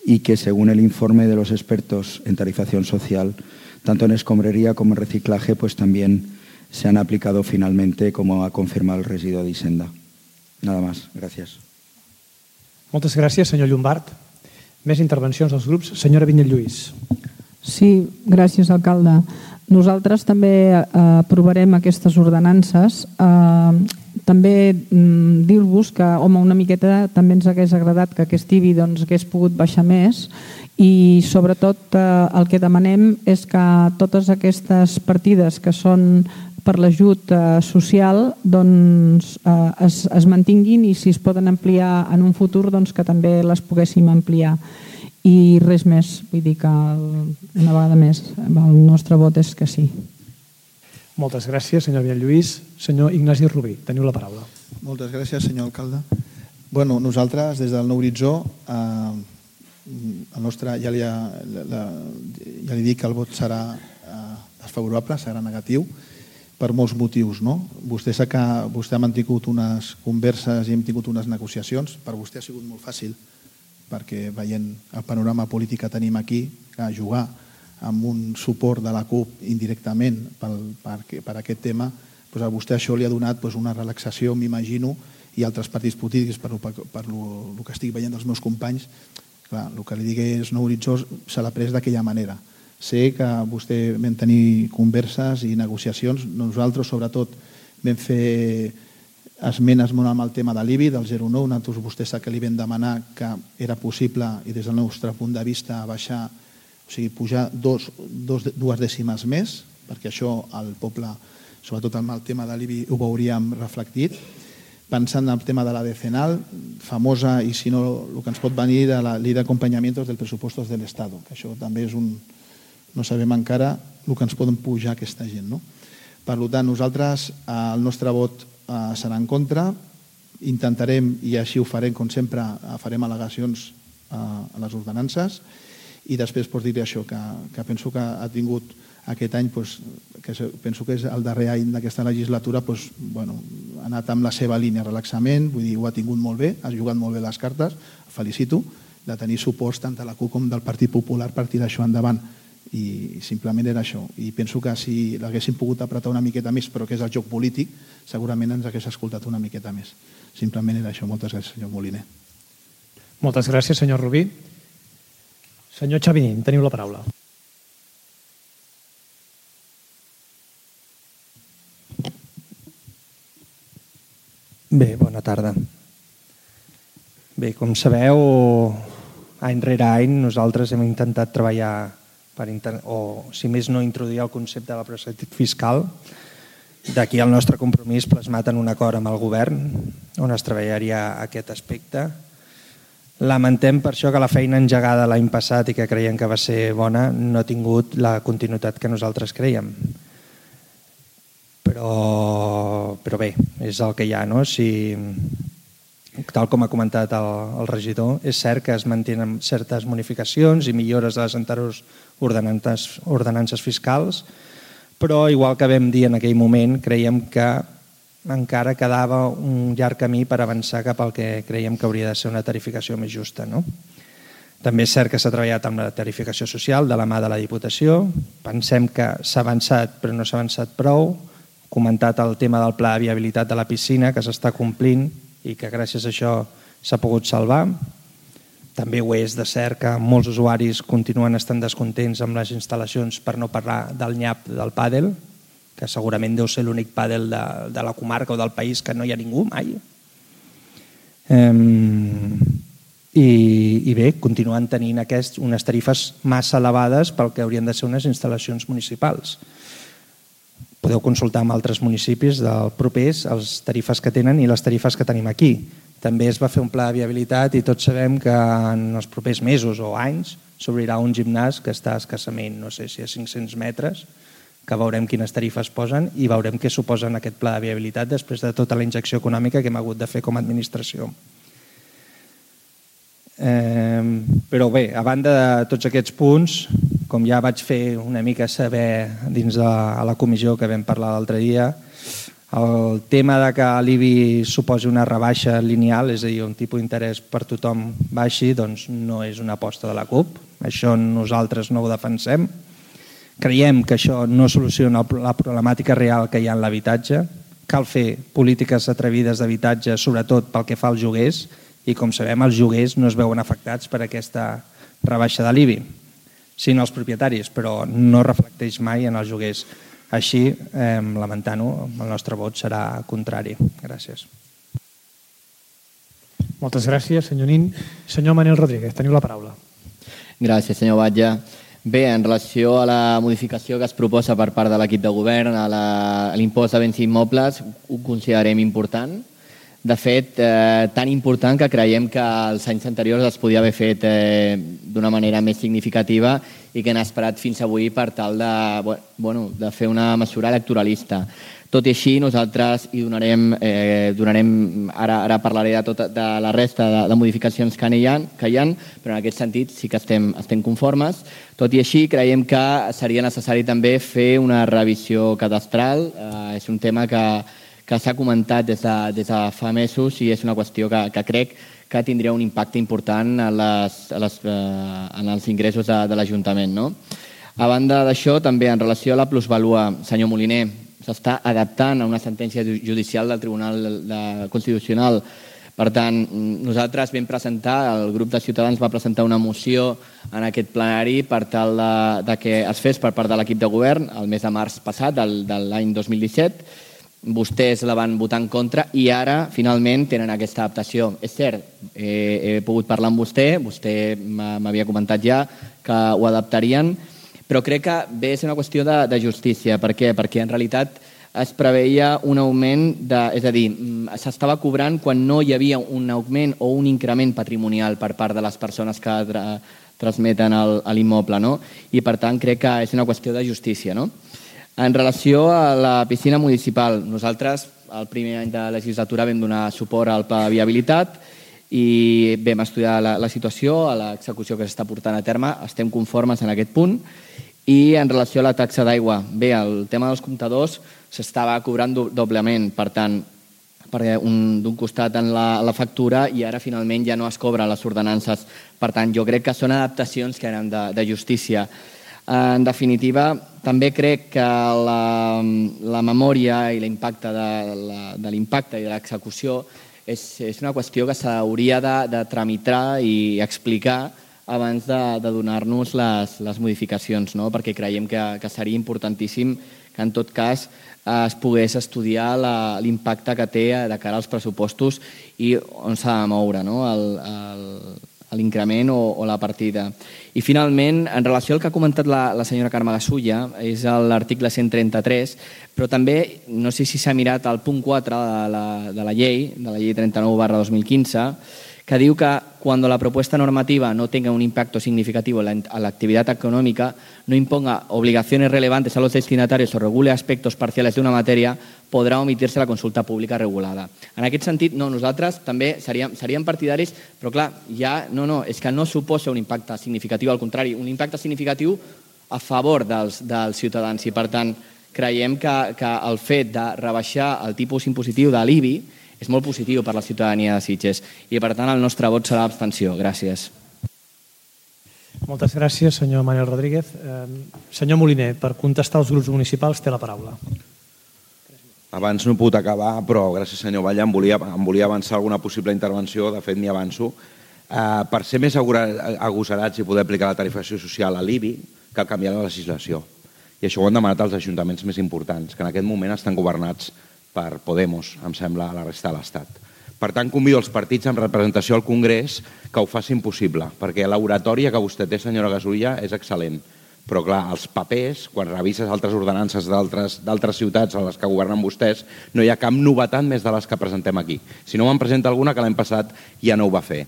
y que según el informe de los expertos en tarifación social, tanto en escombrería como en reciclaje, pues también se han aplicado finalmente, como ha confirmado el regidor de Hisenda. Nada más. Gràcies. Moltes gràcies, senyor Llombart. Més intervencions dels grups. Senyora Vinyet-Lluís. Sí, gràcies, alcalde. Nosaltres també aprovarem aquestes ordenances. També dir-vos que, home, una miqueta també ens hagués agradat que aquest IBI hagués pogut baixar més i sobretot el que demanem és que totes aquestes partides que són per l'ajut social es mantinguin i si es poden ampliar en un futur que també les poguéssim ampliar. I res més, vull dir que una vegada més el nostre vot és que sí. Moltes gràcies, senyor Vinyet-Lluís. Senyor Ignasi Rubí, teniu la paraula. Moltes gràcies, senyor alcalde. Bueno, nosaltres, des del Nou Horitzó, el nostre, ja li dic que el vot serà desfavorable, serà negatiu, per molts motius. Vostè ha mantingut unes converses i hem tingut unes negociacions. Per vostè ha sigut molt fàcil, perquè veient el panorama polític que tenim aquí, que jugar amb un suport de la CUP indirectament per aquest tema, a vostè això li ha donat una relaxació, m'imagino, i altres partits polítics, per el que estic veient dels meus companys. El que li dic és Nou Horitzó se l'ha pres d'aquella manera. Sé que vostè vam tenir converses i negociacions. Nosaltres, sobretot, vam fer esmenes molt amb el tema de l'IBI, del 0,9. Nosaltres, vostè sap que li vam demanar que era possible, i des del nostre punt de vista, baixar, o sigui, pujar dues dècimes més, perquè això el poble, sobretot amb el tema de l'IBI, ho veuríem reflectit. Pensant en el tema de la decenal, famosa, i si no, el que ens pot venir de la llei d'acompanyament dels pressupostos de l'Estat, que això també és un... no sabem encara el que ens poden pujar aquesta gent. Per tant, nosaltres el nostre vot serà en contra, intentarem, i així ho farem, com sempre, farem al·legacions a les ordenances i després dir-li això, que penso que ha tingut aquest any, que penso que és el darrer any d'aquesta legislatura, ha anat amb la seva línia, relaxament, vull dir, ho ha tingut molt bé, ha jugat molt bé les cartes, felicito, de tenir suports tant de la CUP com del Partit Popular per tirar això endavant. I simplement era això. I penso que si l'haguéssim pogut apretar una miqueta més, però que és el joc polític, segurament ens hagués escoltat una miqueta més. Simplement era això. Moltes gràcies, senyor Moliner. Moltes gràcies, senyor Rubí. Senyor Xavinín, teniu la paraula. Bé, bona tarda. Bé, com sabeu, any rere any nosaltres hem intentat treballar o, si més no, introduir el concepte de la progressivitat fiscal. D'aquí el nostre compromís plasmat en un acord amb el govern on es treballaria aquest aspecte. Lamentem per això que la feina engegada l'any passat i que creiem que va ser bona no ha tingut la continuïtat que nosaltres creiem. Però bé, és el que hi ha, no? Tal com ha comentat el regidor, és cert que es mantenen certes modificacions i millores de les anteriors ordenances fiscals, però igual que vam dir en aquell moment, creiem que encara quedava un llarg camí per avançar cap al que creiem que hauria de ser una tarificació més justa. També és cert que s'ha treballat amb la tarificació social de la mà de la Diputació. Pensem que s'ha avançat, però no s'ha avançat prou. Comentat el tema del pla de viabilitat de la piscina, que s'està complint i que gràcies a això s'ha pogut salvar. També ho és de cert que molts usuaris continuen estant descontents amb les instal·lacions, per no parlar del nyap del pàdel, que segurament deu ser l'únic pàdel de la comarca o del país que no hi ha ningú mai. I bé, continuen tenint unes tarifes massa elevades pel que haurien de ser unes instal·lacions municipals. Podeu consultar amb altres municipis del propers les tarifes que tenen i les tarifes que tenim aquí. També es va fer un pla de viabilitat i tots sabem que en els propers mesos o anys s'obrirà un gimnàs que està escassament, no sé si a 500 metres, que veurem quines tarifes posen i veurem què suposa aquest pla de viabilitat després de tota la injecció econòmica que hem hagut de fer com a administració. Però bé, a banda de tots aquests punts, com ja vaig fer una mica saber dins de la comissió que vam parlar l'altre dia, el tema de que l'IBI suposi una rebaixa lineal, és a dir, un tipus d'interès per tothom baixi, doncs no és una aposta de la CUP. Això nosaltres no ho defensem. Creiem que això no soluciona la problemàtica real que hi ha en l'habitatge. Cal fer polítiques atrevides d'habitatge, sobretot pel que fa als lloguers, i com sabem els lloguers no es veuen afectats per aquesta rebaixa de l'IBI, sinó els propietaris, però no reflecteix mai en els lloguers. Així, lamentant-ho, el nostre vot serà contrari. Gràcies. Moltes gràcies, senyor Nin. Senyor Manel Rodríguez, teniu la paraula. Gràcies, senyor Batlle. Bé, en relació a la modificació que es proposa per part de l'equip de govern a l'impost de béns immobles, ho considerem important. De fet, tan important que creiem que els anys anteriors es podia haver fet d'una manera més significativa i que han esperat fins avui per tal de fer una mesura electoralista. Tot i així, nosaltres hi donarem, ara parlaré de la resta de modificacions que hi ha, però en aquest sentit sí que estem conformes. Tot i així, creiem que seria necessari també fer una revisió cadastral. És un tema que s'ha comentat des de fa mesos i és una qüestió que crec que tindria un impacte important en els ingressos de l'Ajuntament. A banda d'això, també en relació a la plusvalua, senyor Moliner, s'està adaptant a una sentència judicial del Tribunal Constitucional. Per tant, nosaltres vam presentar, el grup de Ciutadans va presentar una moció en aquest plenari per tal que es fes per part de l'equip de govern el mes de març passat, de l'any 2017. Vostès la van votar en contra i ara, finalment, tenen aquesta adaptació. És cert, he pogut parlar amb vostè m'havia comentat ja que ho adaptarien, però crec que ve a ser una qüestió de justícia. Per què? Perquè en realitat es preveia un augment, és a dir, s'estava cobrant quan no hi havia un augment o un increment patrimonial per part de les persones que transmeten l'immoble, i per tant crec que és una qüestió de justícia. En relació a la piscina municipal, nosaltres el primer any de legislatura vam donar suport al pla de viabilitat i vam estudiar la situació, a l'execució que s'està portant a terme, estem conformes en aquest punt. I en relació a la taxa d'aigua, bé, el tema dels comptadors s'estava cobrant doblement, per tant, d'un costat en la factura i ara finalment ja no es cobra les ordenances. Per tant, jo crec que són adaptacions que eren de justícia. En definitiva, també crec que la memòria i l'impacte de l'impacte i de l'execució és una qüestió que s'hauria de tramitar i explicar abans de donar-nos les modificacions, perquè creiem que seria importantíssim que en tot cas es pogués estudiar l'impacte que té de cara als pressupostos i on s'ha de moure l'increment o la partida. I finalment, en relació al que ha comentat la senyora Carme Gasulla, és l'article 133, però també, no sé si s'ha mirat el punt 4 de la llei 39/2015, que diu que cuando la propuesta normativa no tenga un impacto significativo en la actividad económica, no imponga obligaciones relevantes a los destinatarios o regule aspectos parciales de una materia, podrà omitir-se la consulta pública regulada. En aquest sentit, nosaltres també seríem partidaris, però clar, és que no suposa un impacte significatiu, al contrari, un impacte significatiu a favor dels ciutadans i per tant creiem que el fet de rebaixar el tipus impositiu de l'IBI és molt positiu per la ciutadania de Sitges i per tant el nostre vot serà abstenció. Gràcies. Moltes gràcies, senyor Manuel Rodríguez. Senyor Moliner, per contestar als grups municipals té la paraula. Abans no he pogut acabar, però gràcies, senyor Batlle, em volia avançar alguna possible intervenció, de fet m'hi avanço. Per ser més agosarats i poder aplicar la tarifació social a l'IBI, cal canviar la legislació. I això ho han demanat els ajuntaments més importants, que en aquest moment estan governats per Podemos, em sembla, a la resta de l'Estat. Per tant, convido els partits amb representació al Congrés que ho facin possible, perquè l'oratòria que vostè té, senyora Gasulla, és excel·lent. Però, clar, els papers, quan revises altres ordenances d'altres ciutats a les que governen vostès, no hi ha cap novetat més de les que presentem aquí. Si no me'n presenta alguna, que l'any passat ja no ho va fer.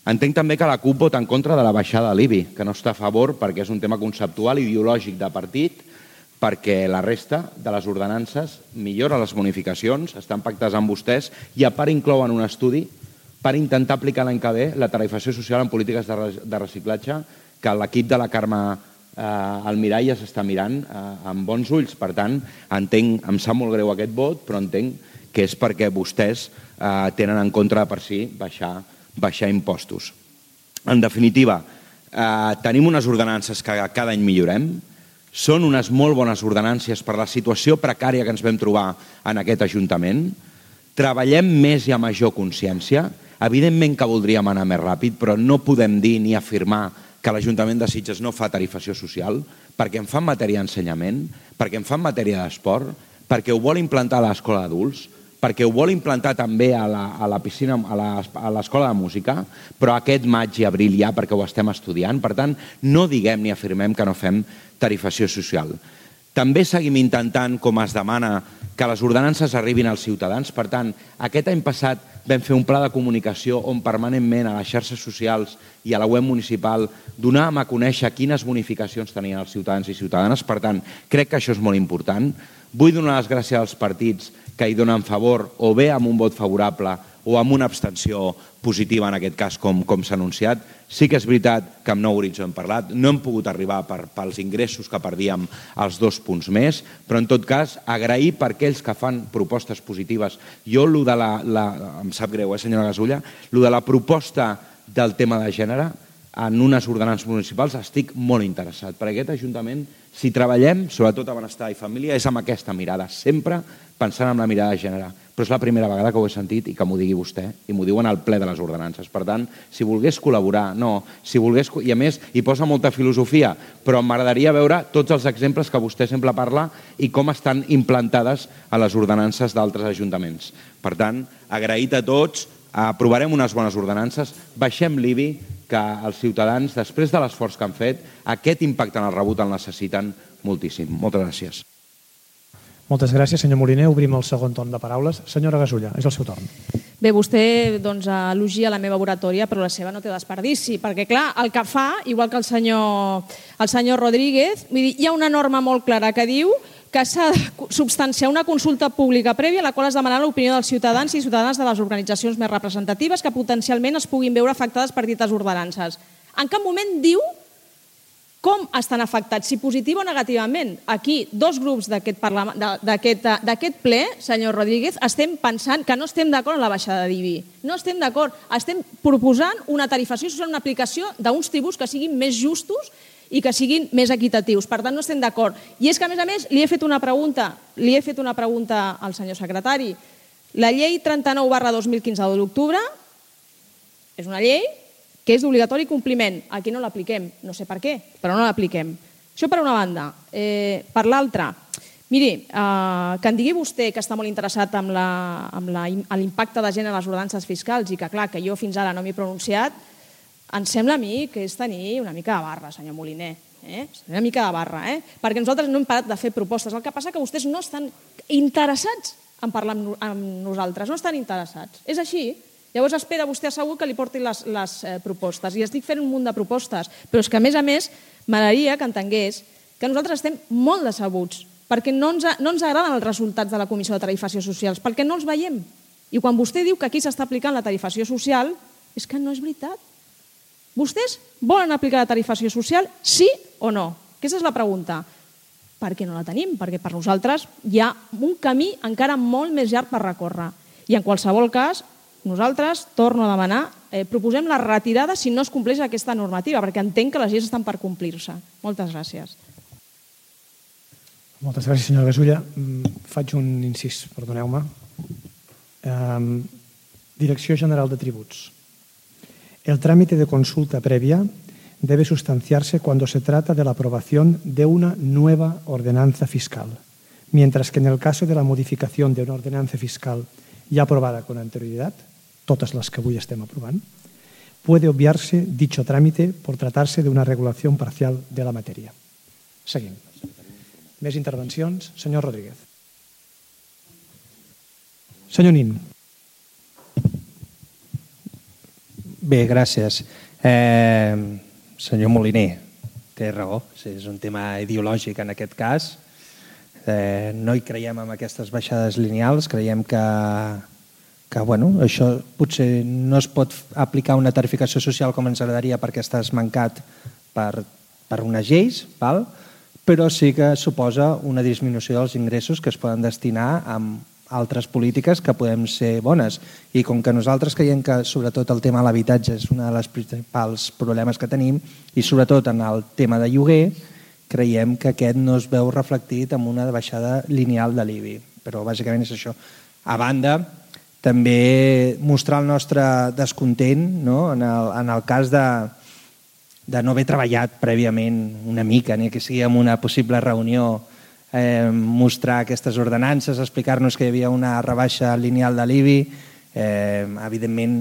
Entenc també que la CUP vota en contra de la baixada de l'IBI, que no està a favor perquè és un tema conceptual i ideològic de partit, perquè la resta de les ordenances millora les bonificacions, estan pactades amb vostès i a part inclouen un estudi per intentar aplicar l'any que ve la tarifació social en polítiques de reciclatge que l'equip de la Carme Almirall ja s'està mirant amb bons ulls. Per tant, entenc, em sap molt greu aquest vot, però entenc que és perquè vostès tenen en contra per si baixar impostos. En definitiva, tenim unes ordenances que cada any millorem. Són unes molt bones ordenàncies per la situació precària que ens vam trobar en aquest Ajuntament. Treballem més i a major consciència. Evidentment que voldríem anar més ràpid, però no podem dir ni afirmar que l'Ajuntament de Sitges no fa tarifació social, perquè en fa en matèria d'ensenyament, perquè en fa en matèria d'esport, perquè ho vol implantar a l'escola d'adults, perquè ho vol implantar també a la piscina, a l'escola de música, però aquest maig i abril ja perquè ho estem estudiant. Per tant, no diguem ni afirmem que no fem tarifació social. També seguim intentant, com es demana, que les ordenances arribin als ciutadans. Per tant, aquest any passat vam fer un pla de comunicació on permanentment a les xarxes socials i a la web municipal donàvem a conèixer quines bonificacions tenien els ciutadans i ciutadanes. Per tant, crec que això és molt important. Vull donar les gràcies als partits que hi donen favor, o bé amb un vot favorable o amb una abstenció positiva, en aquest cas, com s'ha anunciat. Sí que és veritat que amb Nou Horitzó hem parlat, no hem pogut arribar pels ingressos que perdíem als 2 punts més, però en tot cas, agrair per aquells que fan propostes positives. Jo, em sap greu, senyora Gasulla, de la proposta del tema de gènere en unes ordenances municipals estic molt interessat. Per aquest Ajuntament, si treballem, sobretot a benestar i família, és amb aquesta mirada, sempre pensant en la mirada de gènere. Però és la primera vegada que ho he sentit i que m'ho digui vostè, i m'ho diuen al ple de les ordenances. Per tant, si volgués col·laborar, no, si volgués... I a més, hi posa molta filosofia, però m'agradaria veure tots els exemples que vostè sempre parla i com estan implantades a les ordenances d'altres ajuntaments. Per tant, agraït a tots, aprovarem unes bones ordenances, baixem l'IBI, que els ciutadans, després de l'esforç que han fet, aquest impacte en el rebut el necessiten moltíssim. Moltes gràcies. Moltes gràcies, senyor Moliner. Obrim el segon torn de paraules. Senyora Gasulla, és el seu torn. Bé, vostè elogia la meva oratòria, però la seva no té desperdici, perquè, clar, el que fa, igual que el senyor Rodríguez, hi ha una norma molt clara que diu que s'ha de substanciar una consulta pública prèvia a la qual es demanarà l'opinió dels ciutadans i ciutadanes de les organitzacions més representatives que potencialment es puguin veure afectades per dites ordenances. En cap moment diu com estan afectats, si positiu o negativament. Aquí, 2 grups d'aquest ple, senyor Rodríguez, estem pensant que no estem d'acord en la baixada d'IBI. No estem d'acord. Estem proposant una tarifació social, una aplicació d'uns tributs que siguin més justos i que siguin més equitatius. Per tant, no estem d'acord. I és que, a més, li he fet una pregunta al senyor secretari. La llei 39/2015 de l'octubre és una llei que és d'obligatori compliment. Aquí no l'apliquem. No sé per què, però no l'apliquem. Això per una banda. Per l'altra, miri, que em digui vostè que està molt interessat en l'impacte de gènere a les ordenances fiscals i que, clar, que jo fins ara no m'he pronunciat, em sembla a mi que és tenir una mica de barra, senyor Moliner. Una mica de barra, perquè nosaltres no hem parat de fer propostes. El que passa és que vostès no estan interessats en parlar amb nosaltres, no estan interessats. És així. Llavors espera vostè assegut que li portin les propostes. I estic fent un munt de propostes, però és que, a més, m'agradaria que entengués que nosaltres estem molt decebuts perquè no ens agraden els resultats de la Comissió de Tarifació Socials, perquè no els veiem. I quan vostè diu que aquí s'està aplicant la tarifació social, és que no és veritat. Vostès volen aplicar la tarifació social, sí o no? Aquesta és la pregunta. Per què no la tenim? Perquè per nosaltres hi ha un camí encara molt més llarg per recórrer. I en qualsevol cas, nosaltres, torno a demanar, proposem la retirada si no es compleix aquesta normativa, perquè entenc que les lleis estan per complir-se. Moltes gràcies. Moltes gràcies, senyora Gasulla. Faig un incís, perdoneu-me. Direcció General de Tributs. El trámite de consulta previa debe sustanciarse cuando se trata de la aprobación de una nueva ordenanza fiscal, mientras que en el caso de la modificación de una ordenanza fiscal ya aprobada con anterioridad, totes les que avui estem aprovant, puede obviarse dicho trámite por tratarse de una regulación parcial de la materia. Seguim. Més intervencions. Senyor Rodríguez. Senyor Nin. Bé, gràcies. Senyor Moliner, té raó, és un tema ideològic en aquest cas. No hi creiem en aquestes baixades lineals, creiem que això potser no es pot aplicar una tarificació social com ens agradaria perquè estàs mancat per unes lleis, però sí que suposa una disminució dels ingressos que es poden destinar a altres polítiques que podem ser bones. I com que nosaltres creiem que sobretot el tema de l'habitatge és un dels principals problemes que tenim i sobretot en el tema de lloguer, creiem que aquest no es veu reflectit en una baixada lineal de l'IBI. Però bàsicament és això. A banda, també mostrar el nostre descontent en el cas de no haver treballat prèviament una mica, ni que sigui en una possible reunió, mostrar aquestes ordenances, explicar-nos que hi havia una rebaixa lineal de l'IBI. Evidentment,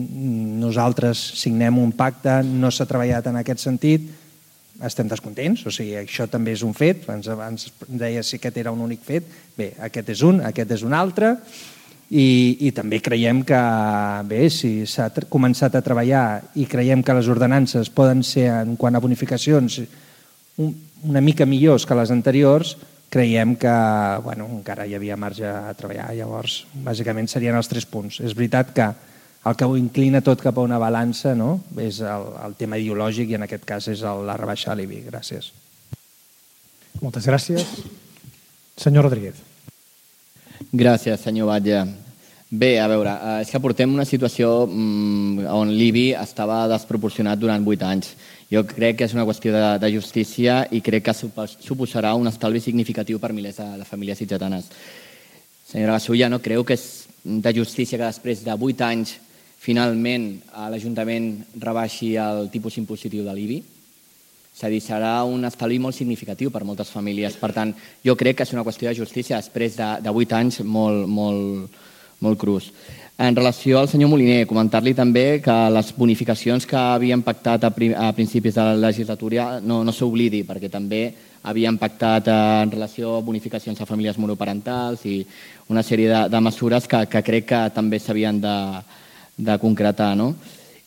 nosaltres signem un pacte, no s'ha treballat en aquest sentit, estem descontents, o sigui, això també és un fet, ens deia si aquest era un únic fet, bé, aquest és un altre, i també creiem que, bé, si s'ha començat a treballar i creiem que les ordenances poden ser, en quant a bonificacions, una mica millors que les anteriors, creiem que encara hi havia marge a treballar. Llavors, bàsicament serien els 3 punts. És veritat que el que ho inclina tot cap a una balança és el tema ideològic i en aquest cas és la rebaixa de l'IBI. Gràcies. Moltes gràcies. Senyor Rodríguez. Gràcies, senyor Batlle. Bé, a veure, és que portem una situació on l'IBI estava desproporcionat durant 8 anys. Jo crec que és una qüestió de justícia i crec que suposarà un estalvi significatiu per milers de famílies sitgetanes. Senyora Gasulla, no creu que és de justícia que després de 8 anys finalment l'Ajuntament rebaixi el tipus impositiu de l'IBI? És a dir, serà un estalvi molt significatiu per moltes famílies. Per tant, jo crec que és una qüestió de justícia després de 8 anys molt crus. En relació al senyor Moliner, comentar-li també que les bonificacions que havien pactat a principis de la legislatura no s'oblidi, perquè també havien pactat en relació a bonificacions a famílies monoparentals i una sèrie de mesures que crec que també s'havien de concretar.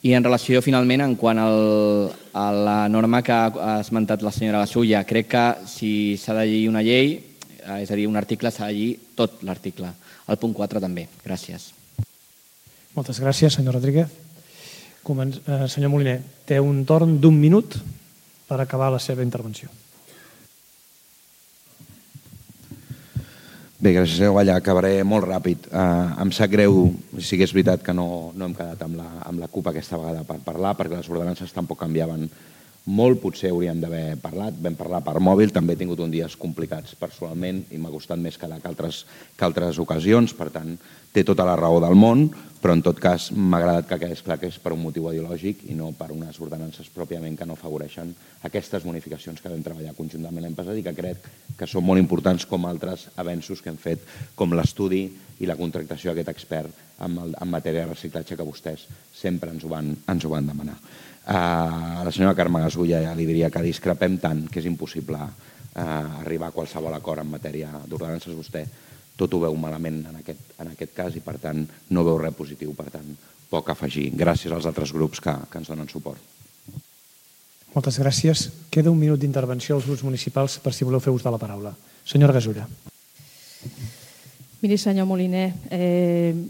I en relació, finalment, en quant a la norma que ha esmentat la senyora Gasulla, crec que si s'ha de llegir una llei, és a dir, un article, s'ha de llegir tot l'article. El punt 4 també. Gràcies. Moltes gràcies, senyor Rodríguez. Senyor Moliner, té un torn d'1 minut per acabar la seva intervenció. Bé, gràcies, senyor Batlle. Acabaré molt ràpid. Em sap greu, si és veritat que no hem quedat amb la CUP aquesta vegada per parlar, perquè les ordenances tampoc canviaven molt, potser hauríem d'haver parlat. Vam parlar per mòbil, també he tingut uns dies complicats personalment i m'ha costat més quedar que altres ocasions, per tant, té tota la raó del món, però en tot cas m'ha agradat que quedés clar que és per un motiu ideològic i no per unes ordenances pròpiament que no afavoreixen aquestes bonificacions que vam treballar conjuntament l'any passat i que crec que són molt importants com altres avenços que hem fet, com l'estudi i la contractació d'aquest expert en matèria de reciclatge que vostès sempre ens ho van demanar. A la senyora Carme Gasulla ja li diria que discrepem tant que és impossible arribar a qualsevol acord en matèria d'ordenances. Vostè tot ho veu malament en aquest cas i per tant no veu res positiu, per tant poc a afegir. Gràcies als altres grups que ens donen suport. Moltes gràcies. Queda 1 minut d'intervenció als grups municipals per si voleu fer ús de la paraula. Senyora Gasulla. Miri, senyor Moliner,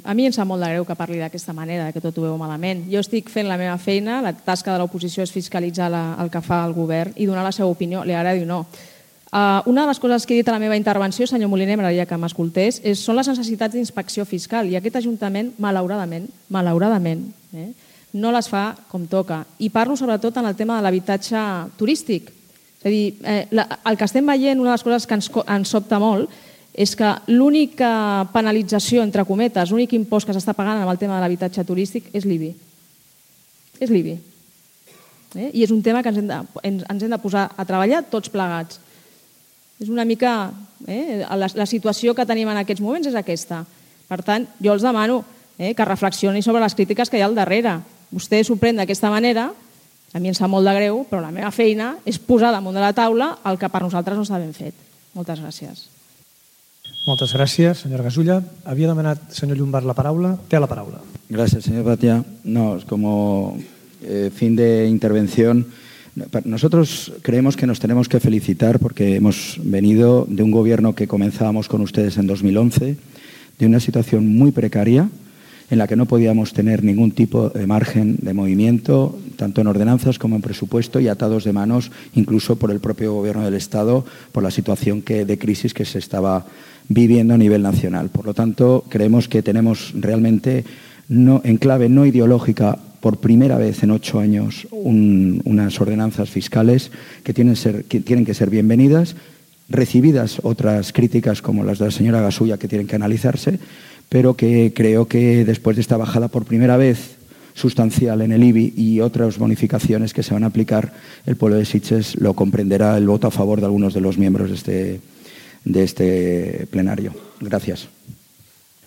a mi em sap molt de greu que parli d'aquesta manera, que tot ho veu malament. Jo estic fent la meva feina, la tasca de l'oposició és fiscalitzar el que fa el govern i donar la seva opinió, li agradi o no. Una de les coses que he dit a la meva intervenció, senyor Moliner, m'agradaria que m'escoltés, són les necessitats d'inspecció fiscal, i aquest Ajuntament, malauradament, no les fa com toca. I parlo sobretot en el tema de l'habitatge turístic. És a dir, el que estem veient, una de les coses que ens sobta molt, és que l'única penalització, entre cometes, l'únic impost que s'està pagant amb el tema de l'habitatge turístic és l'IBI. És l'IBI. I és un tema que ens hem de posar a treballar tots plegats. És una mica... La situació que tenim en aquests moments és aquesta. Per tant, jo els demano que reflexionin sobre les crítiques que hi ha al darrere. Vostè s'ho pren d'aquesta manera, a mi em sap molt de greu, però la meva feina és posar damunt de la taula el que per nosaltres no està ben fet. Moltes gràcies. Moltes gràcies, senyora Gasulla. Havia demanat, senyor Llombart, la paraula. Té la paraula. Gracias, señor Batia. No, como fin de intervención, nosotros creemos que nos tenemos que felicitar porque hemos venido de un gobierno que comenzábamos con ustedes en 2011, de una situación muy precaria, en la que no podíamos tener ningún tipo de margen de movimiento, tanto en ordenanzas como en presupuesto, y atados de manos incluso por el propio Gobierno del Estado, por la situación de crisis que se estaba viviendo a nivel nacional. Por lo tanto, creemos que tenemos realmente, en clave no ideológica, por primera vez en 8 años, unas ordenanzas fiscales que tienen que ser bienvenidas, recibidas otras críticas como las de la señora Gasulla que tienen que analizarse, pero que creo que después de esta bajada por primera vez sustancial en el IBI y otras bonificaciones que se van a aplicar, el pueblo de Sitges lo comprenderá el voto a favor de algunos de los miembros de este plenario. Gracias.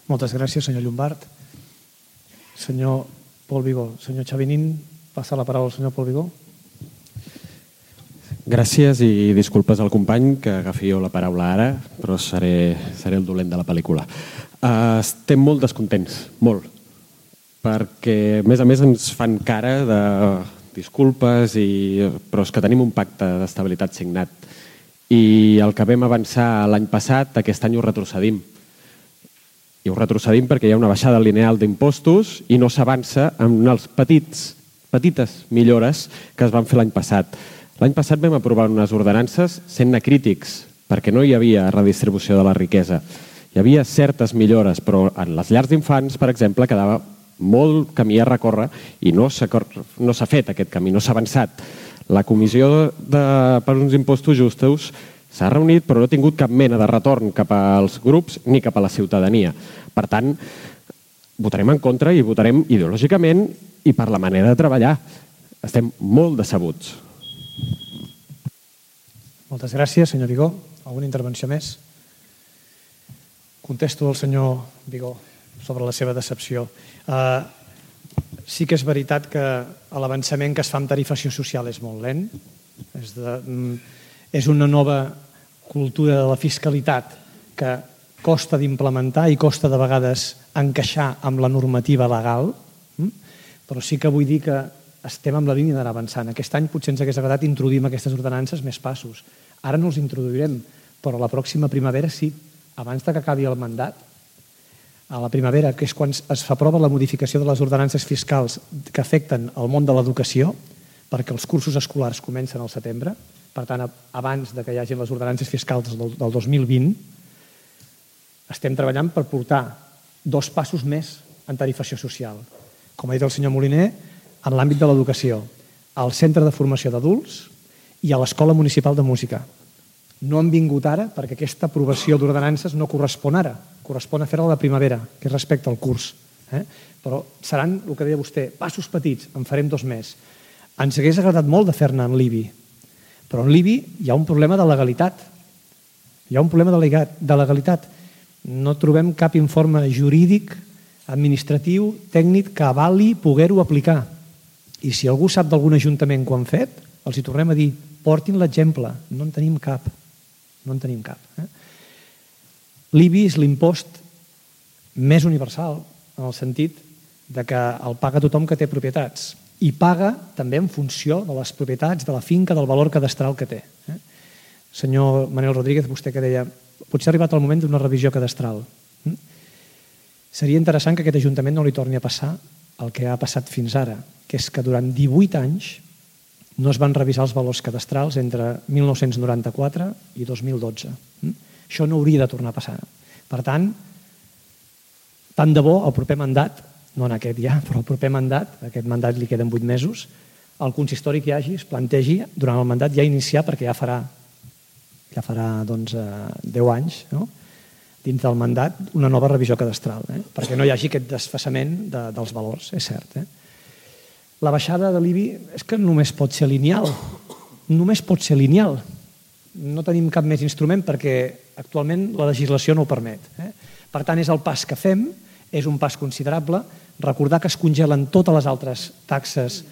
Moltes gràcies, senyor Llombart. Senyor Pol Vigó. Senyor Xavinín, passa la paraula al senyor Pol Vigó. Gràcies i disculpes al company que agafi jo la paraula ara, però seré el dolent de la pel·lícula. Estem molt descontents, molt, perquè a més ens fan cara de disculpes, però és que tenim un pacte d'estabilitat signat i el que vam avançar l'any passat, aquest any ho retrocedim. I ho retrocedim perquè hi ha una baixada lineal d'impostos i no s'avança en les petites millores que es van fer l'any passat. L'any passat vam aprovar unes ordenances sent-ne crítics, perquè no hi havia redistribució de la riquesa. Hi havia certes millores, però en les llars d'infants, per exemple, quedava molt camí a recórrer i no s'ha fet aquest camí, no s'ha avançat. La Comissió per uns impostos justos s'ha reunit però no ha tingut cap mena de retorn cap als grups ni cap a la ciutadania. Per tant, votarem en contra i votarem ideològicament i per la manera de treballar. Estem molt decebuts. Moltes gràcies, senyor Vigó. Alguna intervenció més? Contesto al senyor Vigó sobre la seva decepció. Sí que és veritat que l'avançament que es fa amb tarifació social és molt lent. És una nova cultura de la fiscalitat que costa d'implementar i costa de vegades encaixar amb la normativa legal, però sí que vull dir que estem en la línia d'anar avançant. Aquest any potser ens hagués agradat introduir aquestes ordenances més passos. Ara no els introduirem, però la pròxima primavera sí, abans que acabi el mandat. A la primavera, que és quan es fa prova la modificació de les ordenances fiscals que afecten el món de l'educació, perquè els cursos escolars comencen al setembre, per tant, abans que hi hagi les ordenances fiscals del 2020, estem treballant per portar 2 passos més en tarifació social. Com ha dit el senyor Moliner, en l'àmbit de l'educació, al Centre de Formació d'Adults i a l'Escola Municipal de Música. No han vingut ara perquè aquesta aprovació d'ordenances no correspon ara, correspon a fer-la a la primavera, que és respecte al curs. Però seran, el que deia vostè, passos petits, en farem 2 més. Ens hagués agradat molt de fer-ne en l'IBI, però en l'IBI hi ha un problema de legalitat. Hi ha un problema de legalitat. No trobem cap informe jurídic, administratiu, tècnic que avali poder-ho aplicar. I si algú sap d'algun ajuntament que ho han fet, els hi tornem a dir, portin l'exemple. No en tenim cap. No en tenim cap. L'IBI és l'impost més universal, en el sentit que el paga tothom que té propietats. I paga també en funció de les propietats, de la finca, del valor cadastral que té. Senyor Manel Rodríguez, vostè que deia, potser ha arribat el moment d'una revisió cadastral. Seria interessant que aquest Ajuntament no li torni a passar el que ha passat fins ara, que és que durant 18 anys no es van revisar els valors cadastrals entre 1994 i 2012. Això no hauria de tornar a passar. Per tant de bo el proper mandat, no en aquest ja, però el proper mandat, aquest mandat li queden 8 mesos, el consistori que hi hagi es plantegi durant el mandat ja iniciar, perquè ja farà 10 anys, no? Dins del mandat, una nova revisió cadastral, perquè no hi hagi aquest desfasament dels valors, és cert. La baixada de l'IBI és que només pot ser lineal. Només pot ser lineal. No tenim cap més instrument perquè actualment la legislació no ho permet. Per tant, és el pas que fem, és un pas considerable. Recordar que es congelen totes les altres taxes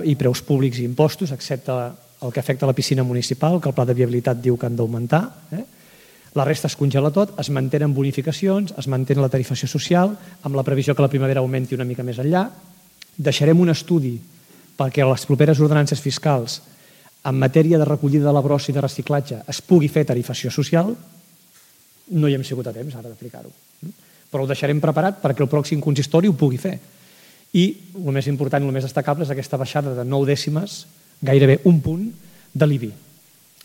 i preus públics i impostos, excepte el que afecta la piscina municipal, que el pla de viabilitat diu que han d'augmentar. La resta es congela tot, es mantenen bonificacions, es mantén la tarifació social, amb la previsió que la primavera augmenti una mica més enllà. Deixarem un estudi perquè a les properes ordenances fiscals en matèria de recollida de la brossa i de reciclatge es pugui fer tarifació social. No hi hem sigut a temps ara d'aplicar-ho, però ho deixarem preparat perquè el pròxim consistori ho pugui fer. I el més important i el més destacable és aquesta baixada de 9 dècimes, gairebé un punt, de l'IBI.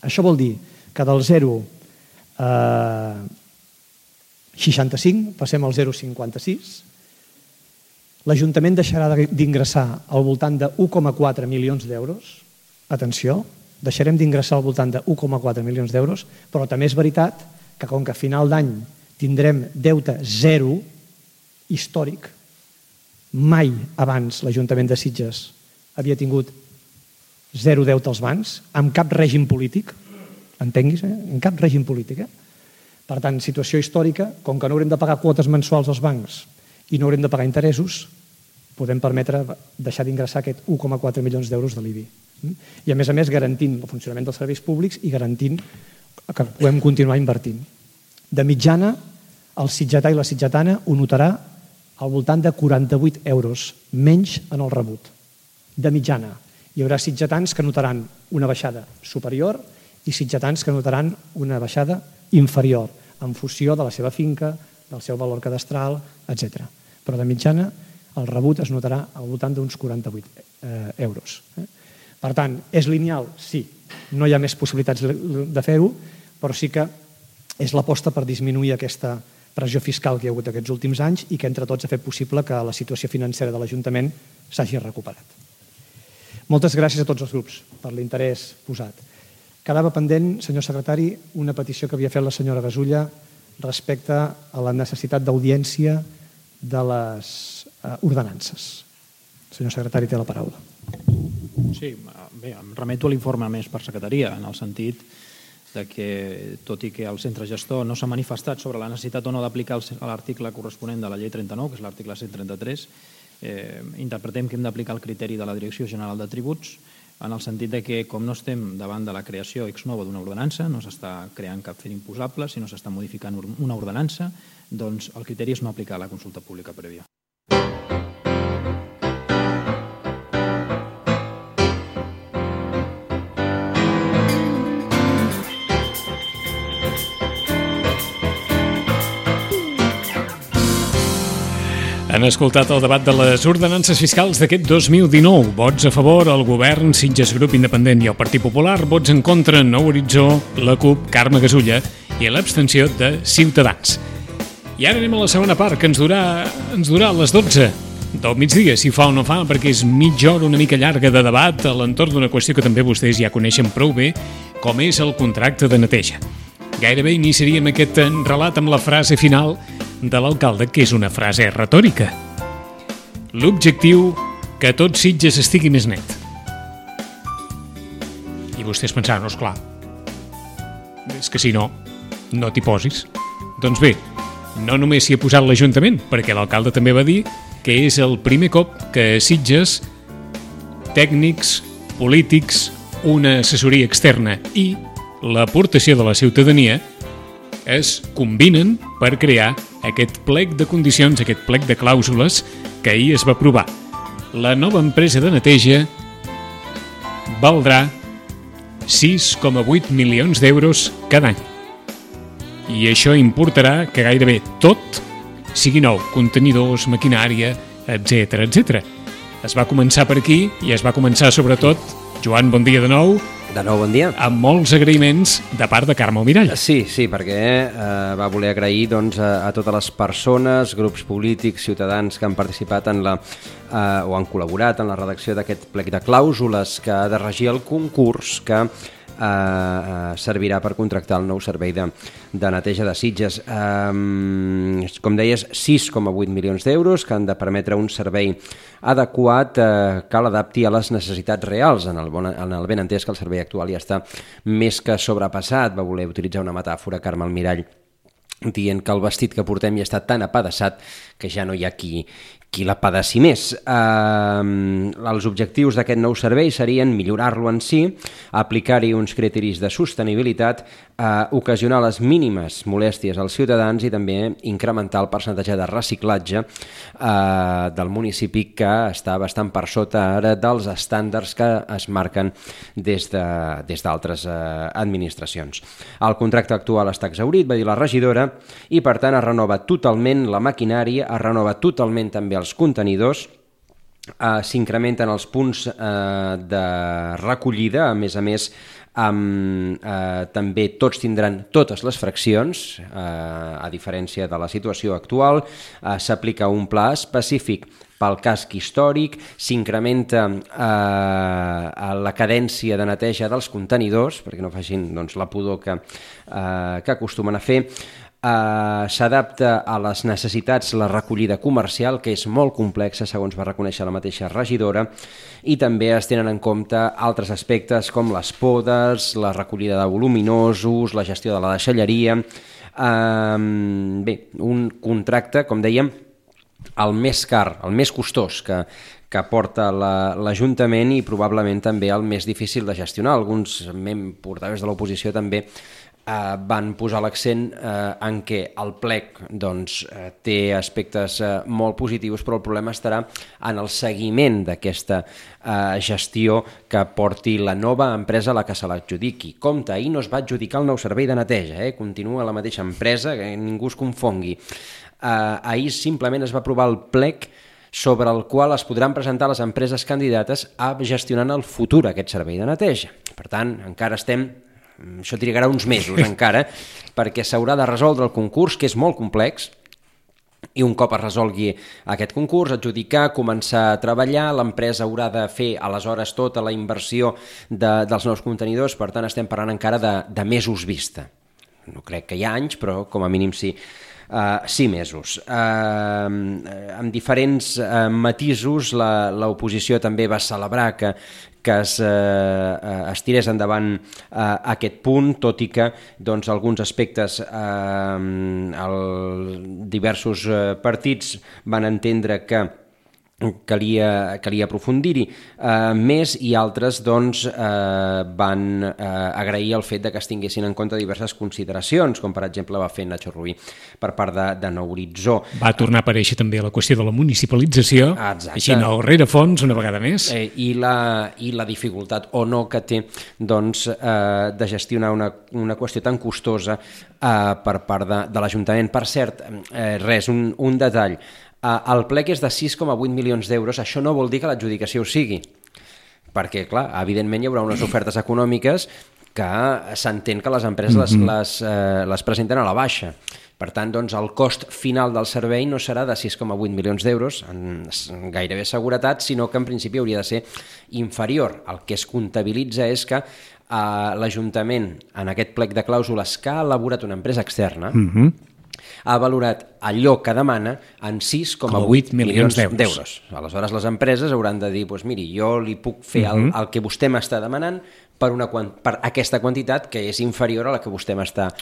Això vol dir que del 0,65 passem al 0,56. L'Ajuntament deixarà d'ingressar al voltant de 1,4 milions d'euros. Atenció, deixarem d'ingressar al voltant de 1,4 milions d'euros, però també és veritat que com que a final d'any tindrem deute zero històric, mai abans l'Ajuntament de Sitges havia tingut zero deute als bancs, amb cap règim polític, entenguis, en cap règim polític. Per tant, situació històrica, com que no haurem de pagar quotes mensuals als bancs i no haurem de pagar interessos, podem permetre deixar d'ingressar aquest 1,4 milions d'euros de l'IBI. I a més garantint el funcionament dels serveis públics i garantint que podem continuar invertint. De mitjana, el sitgetà i la sitgetana ho notarà al voltant de 48 euros menys en el rebut. De mitjana. Hi haurà sitgetans que notaran una baixada superior i sitgetans que notaran una baixada inferior en funció de la seva finca, del seu valor cadastral, etc. Però de mitjana el rebut es notarà al voltant d'uns 48 euros. Per tant, és lineal? Sí. No hi ha més possibilitats de fer-ho, però sí que és l'aposta per disminuir aquesta pressió fiscal que hi ha hagut aquests últims anys i que entre tots ha fet possible que la situació financera de l'Ajuntament s'hagi recuperat. Moltes gràcies a tots els grups per l'interès posat. Quedava pendent, senyor secretari, una petició que havia fet la senyora Gasulla respecte a la necessitat d'audiència de les ordenances. Senyor secretari, té la paraula. Sí, bé, em remeto a l'informe més per secretaria, en el sentit que, tot i que el centre gestor no s'ha manifestat sobre la necessitat o no d'aplicar l'article corresponent de la llei 39, que és l'article 133, interpretem que hem d'aplicar el criteri de la Direcció General de Tributs, en el sentit que, com no estem davant de la creació ex novo d'una ordenança, no s'està creant cap fet imposable, sinó s'està modificant una ordenança, doncs el criteri és no aplicar la consulta pública prèvia. Han escoltat el debat de les ordenances fiscals d'aquest 2019. Vots a favor, el govern, Sitges Grup Independent i el Partit Popular. Vots en contra, Nou Horitzó, la CUP, Carme Gasulla i l'abstenció de Ciutadans. I ara anem a la segona part, que ens durà a les 12 del migdia, si fa o no fa, perquè és mitja hora una mica llarga de debat a l'entorn d'una qüestió que també vostès ja coneixen prou bé, com és el contracte de neteja. Gairebé iniciaríem aquest relat amb la frase final de l'alcalde, que és una frase retòrica. L'objectiu, que tot Sitges estigui més net. I vostès pensaran, no, esclar, és que si no, no t'hi posis. Doncs bé, no només s'hi ha posat l'Ajuntament, perquè l'alcalde també va dir que és el primer cop que a Sitges tècnics, polítics, una assessoria externa i l'aportació de la ciutadania es combinen per crear aquest plec de condicions, aquest plec de clàusules que ahir es va aprovar. La nova empresa de neteja valdrà 6,8 milions d'euros cada any. I això importarà que gairebé tot sigui nou, contenidors, maquinària, etc. Es va començar per aquí i es va començar sobretot, Joan, bon dia de nou. De nou, bon dia. Amb molts agraïments de part de Carme Almirall. Sí, perquè va voler agrair doncs, a totes les persones, grups polítics, ciutadans que han participat o han col·laborat en la redacció d'aquest plec de clàusules que ha de regir el concurs que servirà per contractar el nou servei de neteja de Sitges. Com deies, 6,8 milions d'euros que han de permetre un servei adequat que l'adapti a les necessitats reals, en el ben entès que el servei actual ja està més que sobrepassat. Va voler utilitzar una metàfora, Carme Almirall, dient que el vestit que portem ja està tan apedaçat que ja no hi ha qui l'apedaci més. Els objectius d'aquest nou servei serien millorar-lo en si, aplicar-hi uns criteris de sostenibilitat, ocasionar les mínimes molèsties als ciutadans i també incrementar el percentatge de reciclatge del municipi, que està bastant per sota ara dels estàndards que es marquen des d'altres administracions. El contracte actual està exhaurit, va dir la regidora, i per tant es renova totalment la maquinària, es renova totalment també els contenidors, s'incrementen els punts de recollida, a més, també tots tindran totes les fraccions, a diferència de la situació actual. S'aplica un pla específic pel casc històric, s'incrementa la cadència de neteja dels contenidors, perquè no facin la pudor que acostumen a fer. S'adapta a les necessitats la recollida comercial, que és molt complexa, segons va reconèixer la mateixa regidora, i també es tenen en compte altres aspectes com les podes, la recollida de voluminosos, la gestió de la deixalleria. Bé, un contracte, com dèiem, el més car, el més costós que porta l'Ajuntament, i probablement també el més difícil de gestionar. Alguns portaveus de l'oposició també van posar l'accent en què el plec té aspectes molt positius, però el problema estarà en el seguiment d'aquesta gestió que porti la nova empresa a la que se l'adjudiqui. Compte, ahir no es va adjudicar el nou servei de neteja, continua la mateixa empresa, que ningú es confongui. Ahir simplement es va aprovar el plec sobre el qual es podran presentar les empreses candidates a gestionar en el futur aquest servei de neteja. Per tant, encara això trigarà uns mesos encara, perquè s'haurà de resoldre el concurs, que és molt complex, i un cop es resolgui aquest concurs, adjudicar, començar a treballar, l'empresa haurà de fer aleshores tota la inversió dels nous contenidors. Per tant, estem parlant encara de mesos vista. No crec que hi ha anys, però com a mínim sí 6 mesos. Amb diferents matisos, l'oposició també va celebrar que es tirés endavant aquest punt, tot i que alguns aspectes diversos partits van entendre que calia aprofundir-hi més, i altres van agrair el fet que es tinguessin en compte diverses consideracions, com per exemple va fer Nacho Rubí per part de Nou Horitzó. Va tornar a aparèixer també la qüestió de la municipalització, així no rerefons una vegada més. I la dificultat o no que té de gestionar una qüestió tan costosa per part de l'Ajuntament. Per cert, un detall, el plec és de 6,8 milions d'euros. Això no vol dir que l'adjudicació ho sigui, perquè, clar, evidentment hi haurà unes ofertes econòmiques que s'entén que les empreses les presenten a la baixa. Per tant, el cost final del servei no serà de 6,8 milions d'euros, amb gairebé seguretat, sinó que en principi hauria de ser inferior. El que es comptabilitza és que l'Ajuntament, en aquest plec de clàusules que ha elaborat una empresa externa, ha valorat allò que demana en 6,8 milions d'euros. Aleshores, les empreses hauran de dir, miri, jo li puc fer el que vostè m'està demanant per aquesta quantitat que és inferior a la que vostè m'està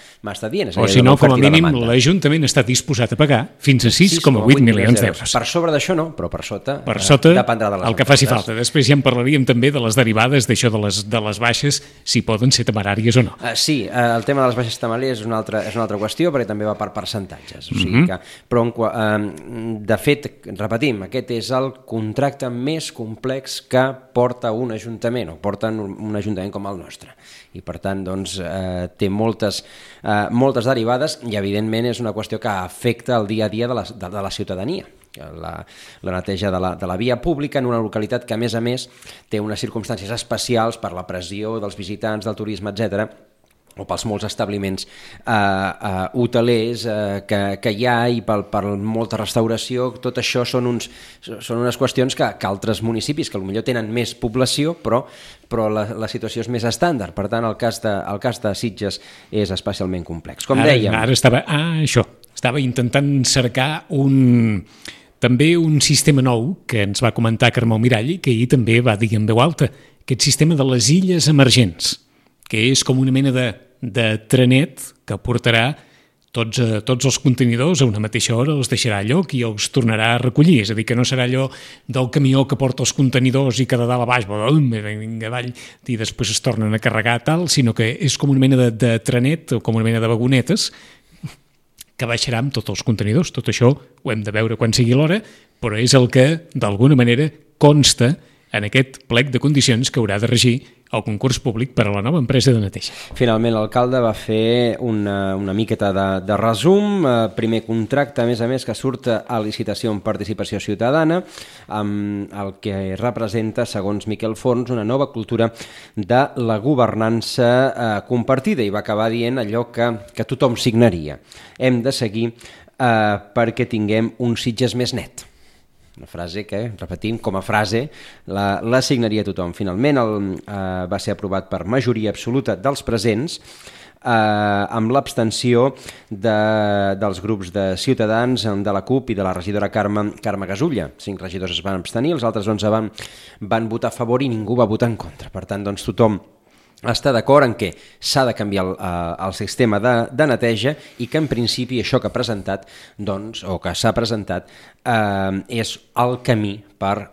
dient. O si no, com a mínim, l'Ajuntament està disposat a pagar fins a 6,8 milions d'euros. Per sobre d'això no, però per sota dependrà de les el que faci falta. Després ja en parlaríem també de les derivades d'això de les baixes, si poden ser temeràries o no. Sí, el tema de les baixes temeràries és una altra qüestió, perquè també va per percentatges. Però, de fet, repetim, aquest és el contracte més complex que porta un ajuntament, o porta un ajuntament com el nostre, i per tant té moltes derivades, i evidentment és una qüestió que afecta el dia a dia de la ciutadania, la neteja de la via pública en una localitat que, a més, té unes circumstàncies especials per la pressió dels visitants, del turisme, etc., o pels molts establiments hotelers que hi ha i per molta restauració. Tot això són unes qüestions que altres municipis, que potser tenen més població, però la situació és més estàndard. Per tant, el cas de Sitges és especialment complex. Com dèiem... Ara estava intentant cercar també un sistema nou que ens va comentar Carmel Mirall i que ahir també va dir en veu alta, aquest sistema de les illes emergents, que és com una mena de trenet que portarà tots els contenidors a una mateixa hora, els deixarà a lloc i els tornarà a recollir. És a dir, que no serà allò del camió que porta els contenidors i que de dalt a baix vinga avall i després es tornen a carregar tal, sinó que és com una mena de trenet o com una mena de vagonetes que baixarà amb tots els contenidors. Tot això ho hem de veure quan sigui l'hora, però és el que, d'alguna manera, consta en aquest plec de condicions que haurà de regir el concurs públic per a la nova empresa de neteja. Finalment, l'alcalde va fer una miqueta de resum. Primer contracte, a més, que surt a licitació en participació ciutadana, amb el que representa, segons Miquel Forns, una nova cultura de la governança compartida, i va acabar dient allò que tothom signaria. Hem de seguir perquè tinguem un Sitges més net. Una frase que, repetim, com a frase, la signaria tothom. Finalment va ser aprovat per majoria absoluta dels presents, amb l'abstenció dels grups de Ciutadans, de la CUP i de la regidora Carme Gasulla. 5 regidors es van abstenir, els altres 11 van votar a favor i ningú va votar en contra. Per tant, doncs, tothom està d'acord en que s'ha de canviar el sistema de neteja i que en principi això que ha presentat, o que s'ha presentat, és el camí per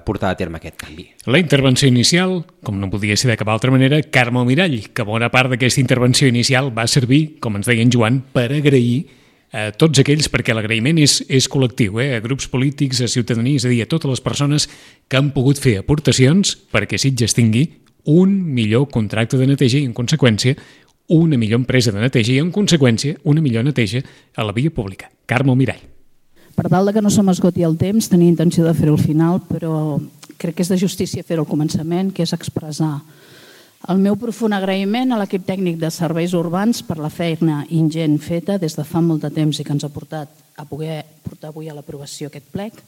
portar a terme aquest canvi. La intervenció inicial, com no podia ser de cap altra manera, Carmel Mirall, que bona part d'aquesta intervenció inicial va servir, com ens deia en Joan, per agrair a tots aquells, perquè l'agraïment és col·lectiu, a grups polítics, a ciutadania, és a dir, a totes les persones que han pogut fer aportacions perquè Sitges tingui un millor contracte de neteja i, en conseqüència, una millor empresa de neteja i, en conseqüència, una millor neteja a la via pública. Carmel Mirall. Per tal que no se m'esgoti el temps, tenia intenció de fer-ho al final, però crec que és de justícia fer-ho al començament, que és expressar el meu profund agraïment a l'equip tècnic de serveis urbans per la feina ingent feta des de fa molt de temps i que ens ha portat a poder portar avui a l'aprovació aquest plec.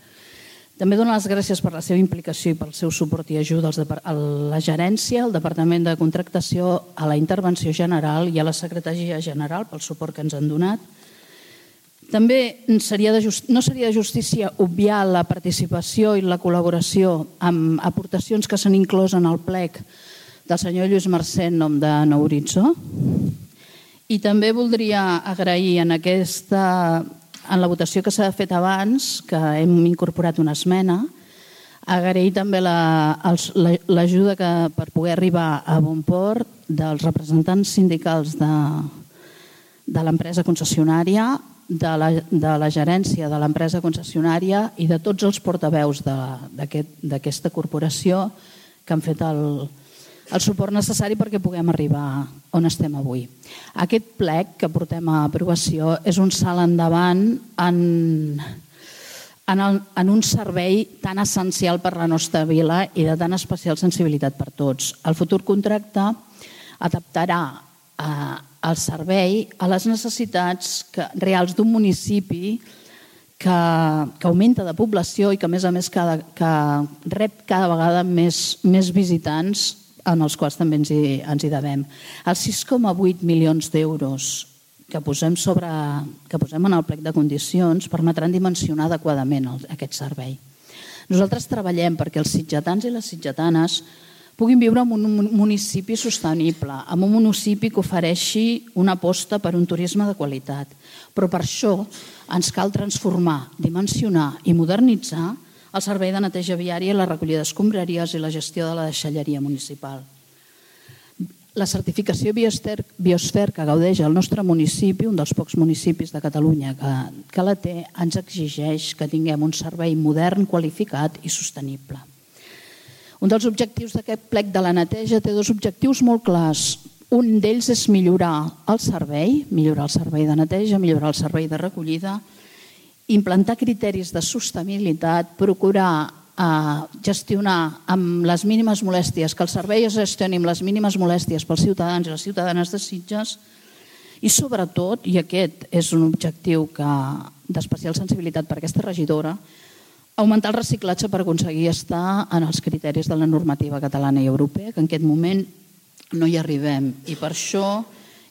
També dono les gràcies per la seva implicació i pel seu suport i ajuda a la gerència, al Departament de Contractació, a la Intervenció General i a la Secretaria General pel suport que ens han donat. També no seria de justícia obviar la participació i la col·laboració amb aportacions que s'han inclòs en el plec del senyor Lluís Mercè en nom de Nou Horitzó. I també voldria agrair en la votació que s'ha fet abans, que hem incorporat una esmena, agrair també l'ajuda per poder arribar a bon port dels representants sindicals de l'empresa concessionària, de la gerència de l'empresa concessionària i de tots els portaveus d'aquesta corporació que han fet el suport necessari perquè puguem arribar on estem avui. Aquest plec que portem a aprovació és un salt endavant en un servei tan essencial per la nostra vila i de tan especial sensibilitat per tots. El futur contracte adaptarà el servei a les necessitats reals d'un municipi que augmenta de població i que, a més, que rep cada vegada més visitants, en els quals també ens hi devem. Els 6,8 milions d'euros que posem en el plec de condicions permetran dimensionar adequadament aquest servei. Nosaltres treballem perquè els sitgetans i les sitgetanes puguin viure en un municipi sostenible, en un municipi que ofereixi una aposta per un turisme de qualitat. Però per això ens cal transformar, dimensionar i modernitzar el servei de neteja viària, la recollida d'escombraries i la gestió de la deixalleria municipal. La certificació Biosfer que gaudeix el nostre municipi, un dels pocs municipis de Catalunya que la té, ens exigeix que tinguem un servei modern, qualificat i sostenible. Un dels objectius d'aquest plec de la neteja té 2 objectius molt clars. Un d'ells és millorar el servei de neteja, millorar el servei de recollida implantar criteris de sostenibilitat, procurar gestionar amb les mínimes molèsties, que el servei es gestioni amb les mínimes molèsties pels ciutadans i les ciutadanes de Sitges i sobretot, i aquest és un objectiu d'especial sensibilitat per aquesta regidora, augmentar el reciclatge per aconseguir estar en els criteris de la normativa catalana i europea, que en aquest moment no hi arribem i per això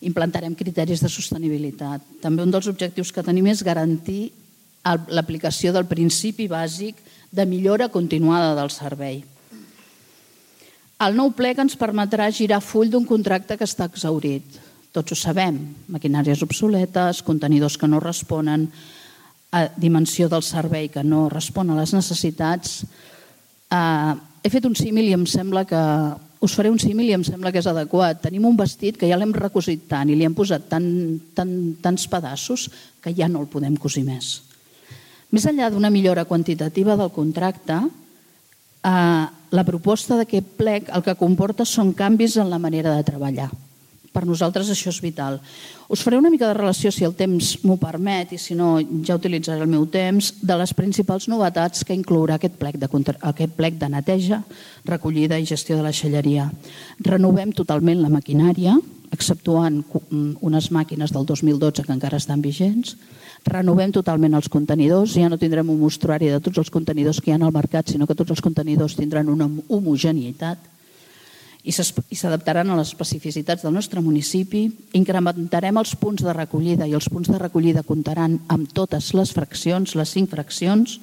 implantarem criteris de sostenibilitat. També un dels objectius que tenim és garantir l'aplicació del principi bàsic de millora continuada del servei. El nou plec ens permetrà girar full d'un contracte que està exhaurit. Tots ho sabem, maquinàries obsoletes, contenidors que no responen, dimensió del servei que no respon a les necessitats. He fet un símil i em sembla que us faré un símil i em sembla que és adequat. Tenim un vestit que ja l'hem recosit tant i li hem posat tants pedaços que ja no el podem cosir més. Més enllà d'una millora quantitativa del contracte, la proposta d'aquest plec el que comporta són canvis en la manera de treballar. Per nosaltres això és vital. Us faré una mica de relació, si el temps m'ho permet, i si no ja utilitzaré el meu temps, de les principals novetats que inclourà aquest plec de neteja, recollida i gestió de la deixalleria. Renovem totalment la maquinària, exceptuant unes màquines del 2012 que encara estan vigents. Renovem totalment els contenidors, ja no tindrem un mostruari de tots els contenidors que hi ha al mercat, sinó que tots els contenidors tindran una homogeneïtat i s'adaptaran a les especificitats del nostre municipi. Incrementarem els punts de recollida i els punts de recollida comptaran amb totes les fraccions, les 5 fraccions.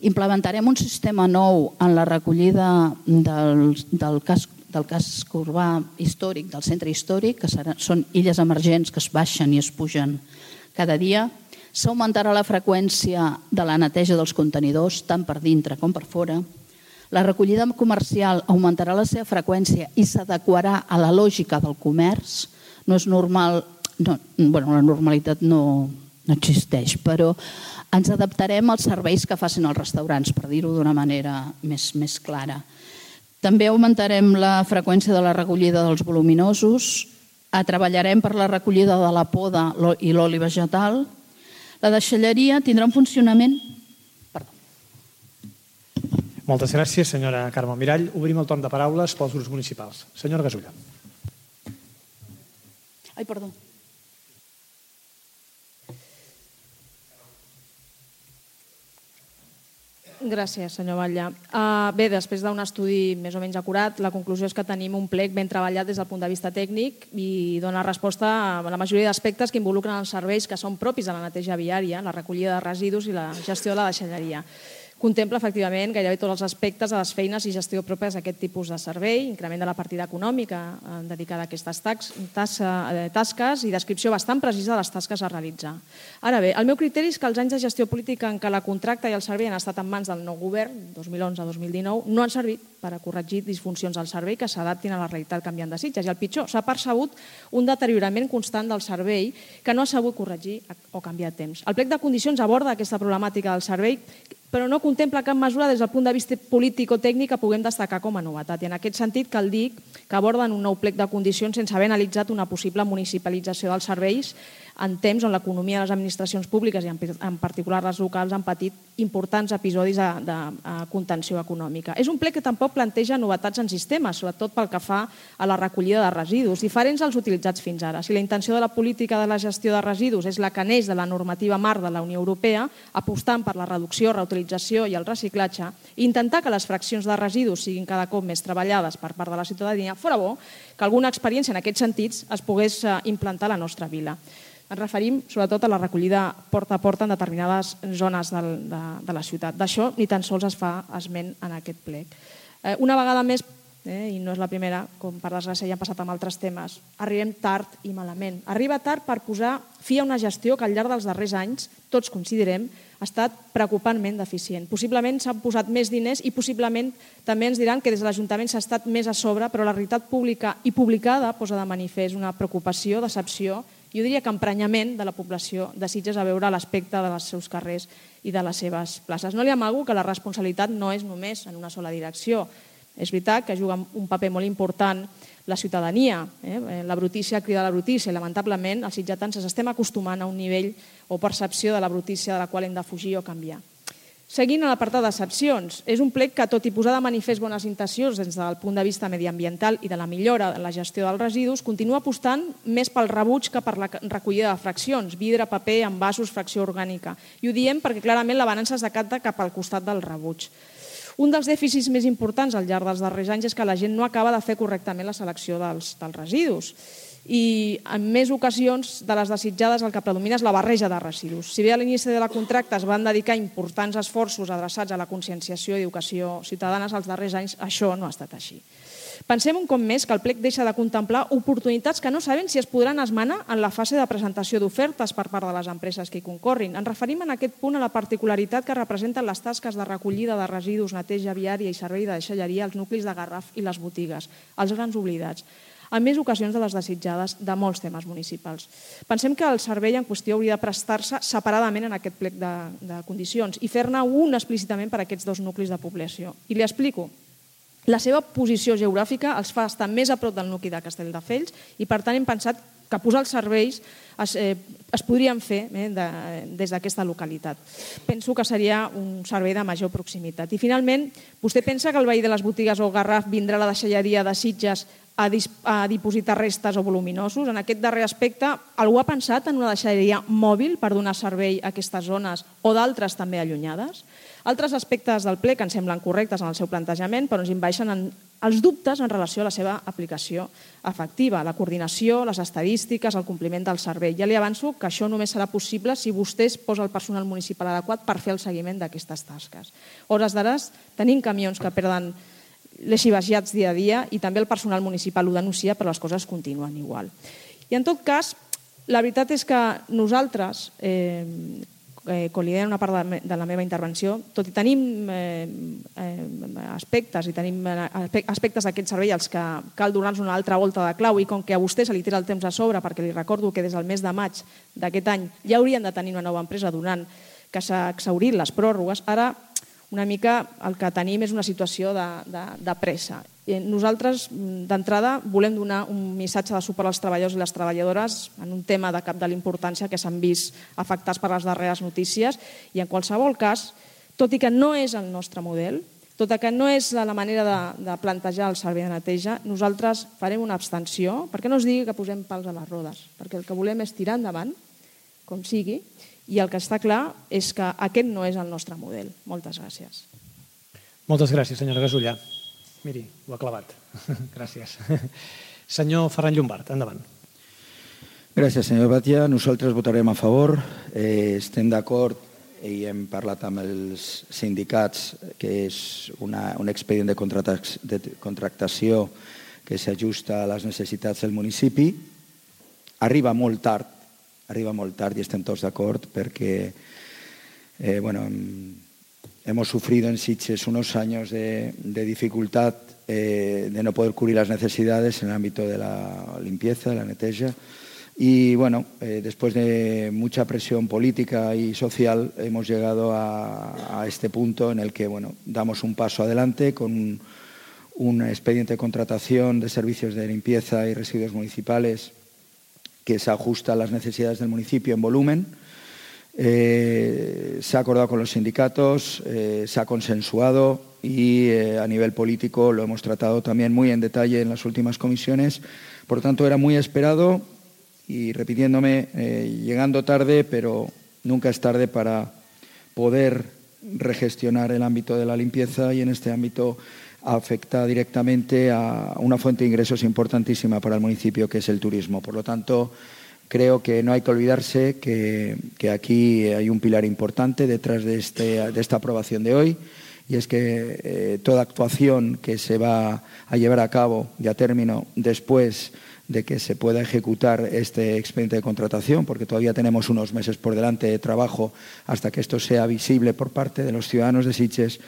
Implementarem un sistema nou en la recollida del casc urbà històric, del centre històric, que són illes emergents que es baixen i es pugen cada dia. S'augmentarà la freqüència de la neteja dels contenidors, tant per dintre com per fora. La recollida comercial augmentarà la seva freqüència i s'adequarà a la lògica del comerç. No és normal, la normalitat no existeix, però ens adaptarem als serveis que facin els restaurants, per dir-ho d'una manera més clara. També augmentarem la freqüència de la recollida dels voluminosos, treballarem per la recollida de la poda i l'oli vegetal. La deixalleria tindrà un funcionament... Moltes gràcies, senyora Carme Mirall. Obrim el torn de paraules pels grups municipals. Senyora Gasulla. Ai, perdó. Gràcies, senyor Batlle. Bé, després d'un estudi més o menys acurat, la conclusió és que tenim un plec ben treballat des del punt de vista tècnic i dona resposta a la majoria d'aspectes que involucren els serveis que són propis de la neteja viària, la recollida de residus i la gestió de la deixalleria. Contempla, efectivament, gairebé tots els aspectes de les feines i gestió pròpies d'aquest tipus de servei, increment de la partida econòmica dedicada a aquestes tasques i descripció bastant precisa de les tasques a realitzar. Ara bé, el meu criteri és que els anys de gestió política en què la contracta i el servei han estat en mans del nou govern, 2011-2019, no han servit per a corregir disfuncions del servei que s'adaptin a la realitat canviant de Sitges. I el pitjor, s'ha percebut un deteriorament constant del servei que no ha sabut corregir o canviar a temps. El plec de condicions aborda aquesta problemàtica del servei, però no contempla cap mesura des del punt de vista polític o tècnic que puguem destacar com a novetat. I en aquest sentit cal dir que aborden un nou plec de condicions sense haver analitzat una possible municipalització dels serveis en temps on l'economia de les administracions públiques i en particular les locals han patit importants episodis de contenció econòmica. És un plec que tampoc planteja novetats en sistemes, sobretot pel que fa a la recollida de residus, diferents als utilitzats fins ara. Si la intenció de la política de la gestió de residus és la que neix de la normativa marc de la Unió Europea, apostant per la reducció, reutilització i el reciclatge, i intentar que les fraccions de residus siguin cada cop més treballades per part de la ciutadania, fora bo que alguna experiència en aquests sentits es pogués implantar a la nostra vila. Ens referim sobretot a la recollida porta a porta en determinades zones de la ciutat. D'això ni tan sols es fa esment en aquest plec. Una vegada més, i no és la primera, com per desgràcia ja han passat amb altres temes, arribem tard i malament. Arriba tard per posar fi a una gestió que al llarg dels darrers anys, tots considerem, ha estat preocupantment deficient. Possiblement s'han posat més diners i possiblement també ens diran que des de l'Ajuntament s'ha estat més a sobre, però la realitat pública i publicada posa de manifest una preocupació, decepció, jo diria que emprenyament de la població de Sitges a veure l'aspecte dels seus carrers i de les seves places. No li amago que la responsabilitat no és només en una sola direcció. És veritat que juga un paper molt important la ciutadania. La brutícia crida la brutícia i lamentablement els sitgetans ens estem acostumant a un nivell o percepció de la brutícia de la qual hem de fugir o canviar. Seguint a l'apartat d'excepcions, és un plec que, tot i posar de manifest bones intencions des del punt de vista mediambiental i de la millora en la gestió dels residus, continua apostant més pel rebuig que per la recollida de fraccions, vidre, paper, envasos, fracció orgànica. I ho diem perquè clarament la balança es decanta cap al costat del rebuig. Un dels dèficits més importants al llarg dels darrers anys és que la gent no acaba de fer correctament la selecció dels residus. I en més ocasions de les desitjades el que predomina és la barreja de residus. Si bé a l'inici de la contracte es van dedicar importants esforços adreçats a la conscienciació i educació ciutadanes, als darrers anys això no ha estat així. Pensem un cop més que el plec deixa de contemplar oportunitats que no sabem si es podran esmenar en la fase de presentació d'ofertes per part de les empreses que hi concorrin. Ens referim en aquest punt a la particularitat que representen les tasques de recollida de residus, neteja viària i servei de deixalleria als nuclis de Garraf i les botigues, els grans oblidats, en més ocasions de les desitjades de molts temes municipals. Pensem que el servei en qüestió hauria de prestar-se separadament en aquest plec de condicions i fer-ne un explícitament per a aquests dos nuclis de població. I li explico. La seva posició geogràfica els fa estar més a prop del nucli de Castelldefels i, per tant, hem pensat que posar els serveis es podrien fer des d'aquesta localitat. Penso que seria un servei de major proximitat. I, finalment, vostè pensa que el veí de les botigues o Garraf vindrà a la deixalleria de Sitges a dipositar restes o voluminosos? En aquest darrer aspecte, algú ha pensat en una deixalleria mòbil per donar servei a aquestes zones o d'altres també allunyades? Altres aspectes del ple que ens semblen correctes en el seu plantejament, però ens envaeixen els dubtes en relació a la seva aplicació efectiva, la coordinació, les estadístiques, el compliment del servei. Ja li avanço que això només serà possible si vostè posa el personal municipal adequat per fer el seguiment d'aquestes tasques. Hores d'ara tenim camions que perden les xivagiats dia a dia i també el personal municipal ho denuncia, però les coses continuen igual. I en tot cas, la veritat és que nosaltres, com li deia en una part de la meva intervenció, tot i tenim aspectes d'aquest servei als que cal donar-nos una altra volta de clau, i com que a vostè se li tira el temps a sobre, perquè li recordo que des del mes de maig d'aquest any ja haurien de tenir una nova empresa donant que s'ha exhaurit les pròrrogues, ara una mica el que tenim és una situació de pressa. Nosaltres, d'entrada, volem donar un missatge de suport als treballadors i les treballadores en un tema de cap de l'importància que s'han vist afectats per les darreres notícies, i en qualsevol cas, tot i que no és el nostre model, tot i que no és la manera de plantejar el servei de neteja, nosaltres farem una abstenció, perquè no es digui que posem pals a les rodes, perquè el que volem és tirar endavant, com sigui, i el que està clar és que aquest no és el nostre model. Moltes gràcies. Moltes gràcies, senyora Gasulla. Miri, ho ha clavat. Gràcies. Senyor Ferran Llombart, endavant. Gràcies, senyor Batlle. Nosaltres votarem a favor. Estem d'acord i hem parlat amb els sindicats que és un expedient de contractació que s'ajusta a les necessitats del municipi. Arriba molt tard y estem tots d'acord perquè hemos sufrido en Sitges unos años de dificultad de no poder cubrir las necesidades en el ámbito de la limpieza, de la neteja. Y después de mucha presión política y social hemos llegado a este punto en el que damos un paso adelante con un expediente de contratación de servicios de limpieza y residuos municipales que se ajusta a las necesidades del municipio en volumen. Se ha acordado con los sindicatos, se ha consensuado y a nivel político lo hemos tratado también muy en detalle en las últimas comisiones. Por tanto, era muy esperado y, repitiéndome, llegando tarde, pero nunca es tarde para poder regestionar el ámbito de la limpieza, y en este ámbito afecta directamente a una fuente de ingresos importantísima para el municipio, que es el turismo. Por lo tanto, creo que no hay que olvidarse que aquí hay un pilar importante detrás de esta aprobación de hoy, y es que toda actuación que se va a llevar a cabo y a término después de que se pueda ejecutar este expediente de contratación, porque todavía tenemos unos meses por delante de trabajo hasta que esto sea visible por parte de los ciudadanos de Sitges,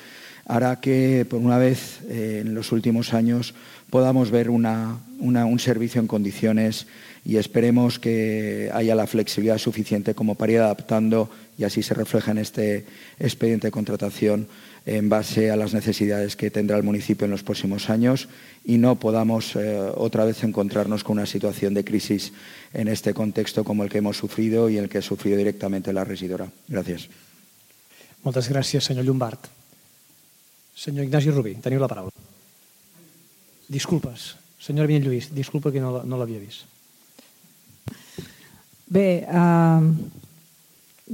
hará que, por una vez en los últimos años, podamos ver un servicio en condiciones y esperemos que haya la flexibilidad suficiente como para ir adaptando, y así se refleja en este expediente de contratación, en base a las necesidades que tendrá el municipio en los próximos años, y no podamos otra vez encontrarnos con una situación de crisis en este contexto como el que hemos sufrido y el que ha sufrido directamente la regidora. Gràcies. Moltes gràcies, senyor Llombart. Senyor Ignasi Rubí, teniu la paraula. Disculpes. Senyora Vinyet Lluís, disculpa que no l'havia vist. Bé,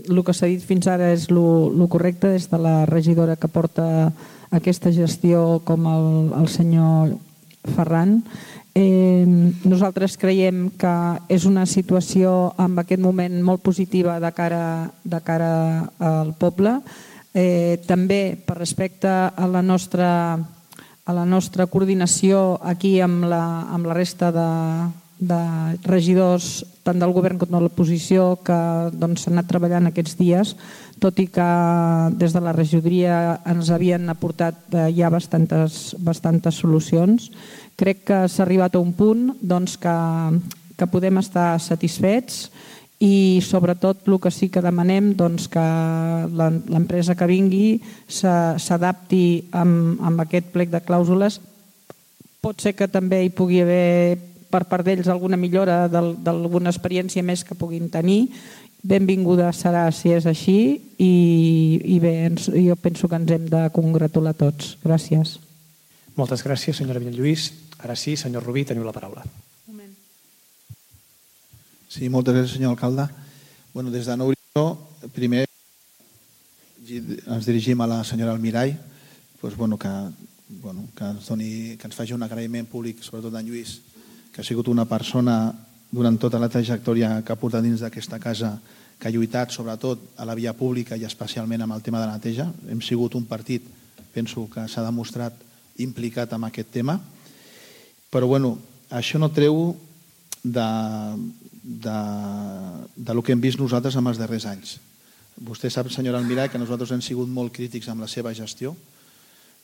el que s'ha dit fins ara és el correcte des de la regidora que porta aquesta gestió com el senyor Ferran. Nosaltres creiem que és una situació en aquest moment molt positiva de cara al poble. També per respecte a la nostra coordinació aquí amb la resta de regidors tant del govern com de l'oposició que s'han anat treballant aquests dies, tot i que des de la regidoria ens havien aportat ja bastantes solucions. Crec que s'ha arribat a un punt que podem estar satisfets i sobretot el que sí que demanem que l'empresa que vingui s'adapti amb aquest plec de clàusules. Pot ser que també hi pugui haver per part d'ells alguna millora d'alguna experiència més que puguin tenir. Benvinguda serà si és així i bé, jo penso que ens hem de congratular tots. Gràcies. Moltes gràcies, senyora Vinyet Lluís. Ara sí, senyor Rubí, teniu la paraula. Sí, moltes gràcies, senyor alcalde. Des de Nou Horitzó, primer ens dirigim a la senyora Almirall que ens faci un agraïment públic, sobretot d'en Lluís, que ha sigut una persona durant tota la trajectòria que ha portat dins d'aquesta casa, que ha lluitat sobretot a la via pública i especialment amb el tema de la neteja. Hem sigut un partit, penso que s'ha demostrat implicat en aquest tema, però això no treu del que hem vist nosaltres en els darrers anys. Vostè sap, senyora Almirall, que nosaltres hem sigut molt crítics amb la seva gestió.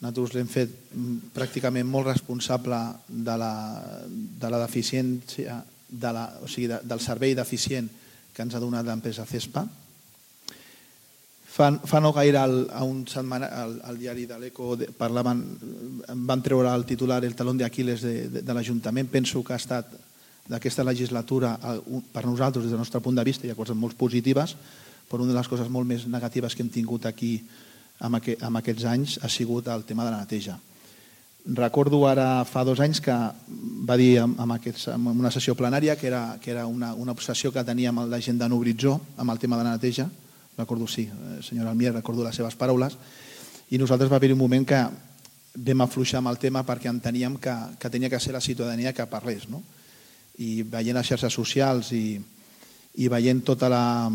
Nosaltres l'hem fet pràcticament molt responsable de la deficiència, del servei deficient que ens ha donat l'empresa CESPA. Fa no gaire al diari de l'Eco van treure el titular el talón d'Aquil·les de l'Ajuntament. Penso que ha estat d'aquesta legislatura, per nosaltres, des del nostre punt de vista, hi ha coses molt positives, però una de les coses molt més negatives que hem tingut aquí en aquests anys ha sigut el tema de la neteja. Recordo ara fa 2 anys que va dir en una sessió plenària que era una obsessió que tenia amb la gent de Nou Horitzó amb el tema de la neteja. Recordo, sí, senyora Almier, recordo les seves paraules. I nosaltres va haver un moment que vam afluixar amb el tema perquè enteníem que tenia que ser la ciutadania que parlés. I veient les xarxes socials i veient tota la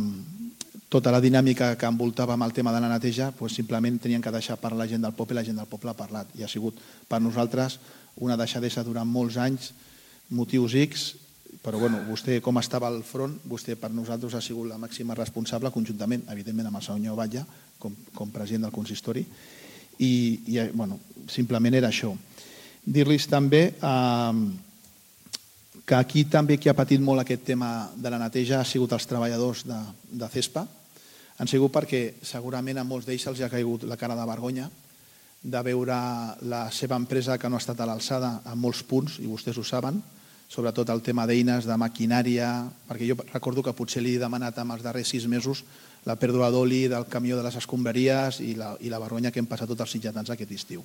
dinàmica que envoltava amb el tema de la neteja, simplement tenien que deixar parlar la gent del poble i la gent del poble ha parlat. I ha sigut per nosaltres una deixadesa durant molts anys, motius X, però vostè com estava al front, vostè per nosaltres ha sigut la màxima responsable conjuntament, evidentment amb el senyor Batlle com president del consistori, i simplement era això. Dir-los també que aquí també qui ha patit molt aquest tema de la neteja ha sigut els treballadors de CESPA. Han sigut perquè segurament a molts d'ells els ha caigut la cara de vergonya de veure la seva empresa que no ha estat a l'alçada en molts punts, i vostès ho saben, sobretot el tema d'eines, de maquinària, perquè jo recordo que potser li he demanat en els darrers 6 mesos la pèrdua d'oli del camió de les escombraries i la vergonya que hem passat tots els sitjatans aquest estiu.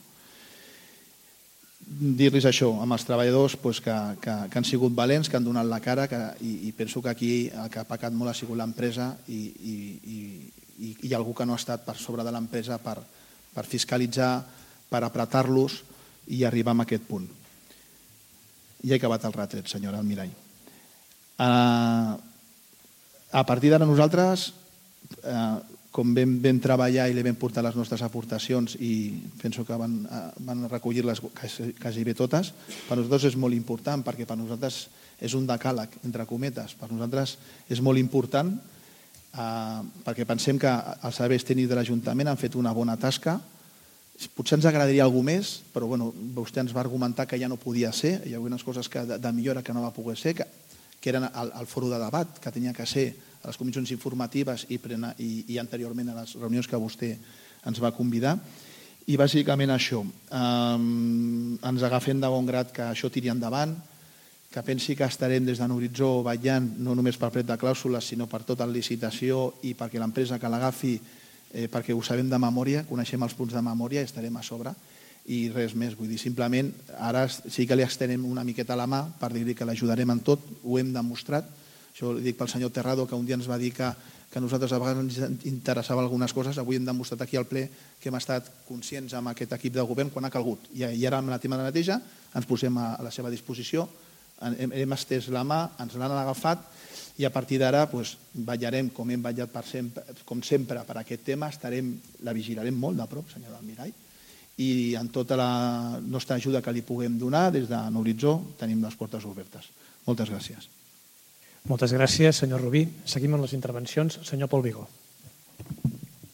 Dir-los això, amb els treballadors que han sigut valents, que han donat la cara, i penso que aquí el que ha pecat molt ha sigut l'empresa i algú que no ha estat per sobre de l'empresa per fiscalitzar, per apretar-los i arribar a aquest punt. Ja he acabat el retret, senyora Almirall. A partir d'ara nosaltres, com vam treballar i li vam portar les nostres aportacions i penso que van recollir-les quasi bé totes, per nosaltres és molt important perquè per nosaltres és un decàleg, entre cometes. Per nosaltres és molt important perquè pensem que els serveis tècnics de l'Ajuntament han fet una bona tasca, Potser ens agradaria alguna més, però vostè ens va argumentar que ja no podia ser, hi havia unes coses de millora que no va poder ser, que eren el foro de debat, que tenia que ser a les comissions informatives i anteriorment a les reunions que vostè ens va convidar. I bàsicament això, ens agafem de bon grat que això tiri endavant, que pensi que estarem des de l'horitzó vetllant no només pel plec de clàusules, sinó per tota la licitació i perquè l'empresa que l'agafi, perquè ho sabem de memòria, coneixem els punts de memòria i estarem a sobre. I res més, vull dir, simplement ara sí que li extenem una miqueta la mà per dir-li que l'ajudarem en tot, ho hem demostrat. Això ho dic pel senyor Terrado, que un dia ens va dir que a nosaltres a vegades ens interessava algunes coses, avui hem demostrat aquí al ple que hem estat conscients amb aquest equip de govern quan ha calgut. I ara amb la tema de neteja ens posem a la seva disposició, hem estès la mà, ens l'han agafat i a partir d'ara vetllarem, com hem vetllat com sempre per aquest tema, la vigilarem molt de prop, senyor Almirall, i en tota la nostra ajuda que li puguem donar des de l'horitzó tenim les portes obertes. Moltes gràcies. Moltes gràcies, senyor Rubí. Seguim amb les intervencions. Senyor Pol Vigó.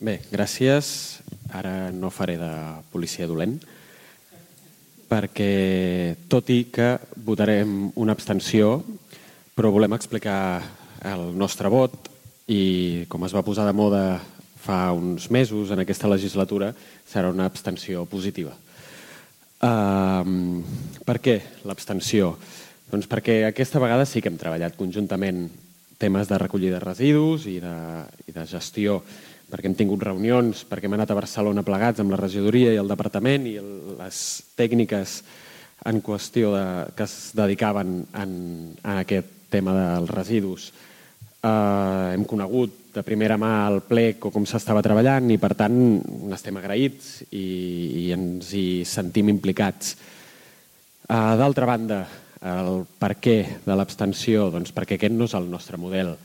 Bé, gràcies. Ara no faré de policia dolent, perquè tot i que votarem una abstenció, però volem explicar el nostre vot i, com es va posar de moda fa uns mesos en aquesta legislatura, serà una abstenció positiva. Per què l'abstenció? Doncs perquè aquesta vegada sí que hem treballat conjuntament temes de recollida de residus i de gestió, perquè hem tingut reunions, perquè hem anat a Barcelona plegats amb la regidoria i el departament i les tècniques en qüestió que es dedicaven a aquest tema dels residus. Hem conegut de primera mà el plec o com s'estava treballant i per tant n'estem agraïts i ens hi sentim implicats. D'altra banda, el per què de l'abstenció? Doncs perquè aquest no és el nostre model.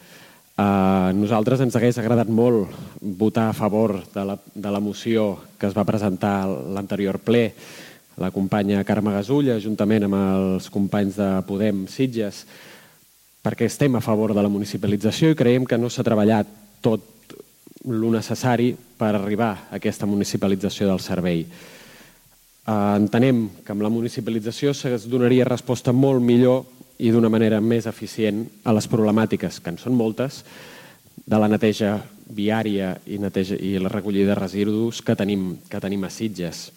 A nosaltres ens hagués agradat molt votar a favor de la moció que es va presentar a l'anterior ple, la companya Carme Gasulla, juntament amb els companys de Podem Sitges, perquè estem a favor de la municipalització i creiem que no s'ha treballat tot el necessari per arribar a aquesta municipalització del servei. Entenem que amb la municipalització es donaria resposta molt millor i d'una manera més eficient a les problemàtiques, que en són moltes, de la neteja viària i la recollida de residus que tenim a Sitges.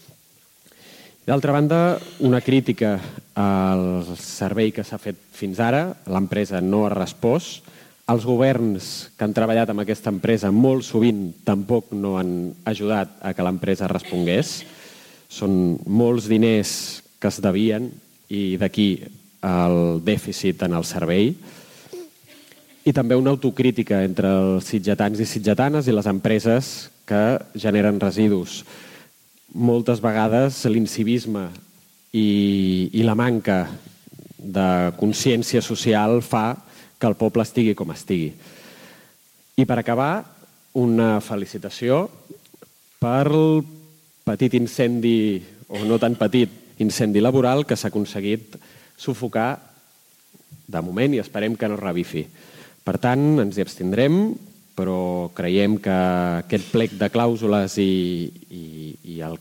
D'altra banda, una crítica al servei que s'ha fet fins ara. L'empresa no ha respost. Els governs que han treballat amb aquesta empresa molt sovint tampoc no han ajudat a que l'empresa respongués. Són molts diners que es devien i d'aquí el dèficit en el servei. I també una autocrítica entre els sitgetans i sitgetanes i les empreses que generen residus. Moltes vegades l'incivisme i la manca de consciència social fa que el poble estigui com estigui. I per acabar, una felicitació per el petit incendi, o no tan petit, incendi laboral que s'ha aconseguit sufocar de moment i esperem que no revifi. Per tant, ens hi abstindrem, però creiem que aquest plec de clàusules i el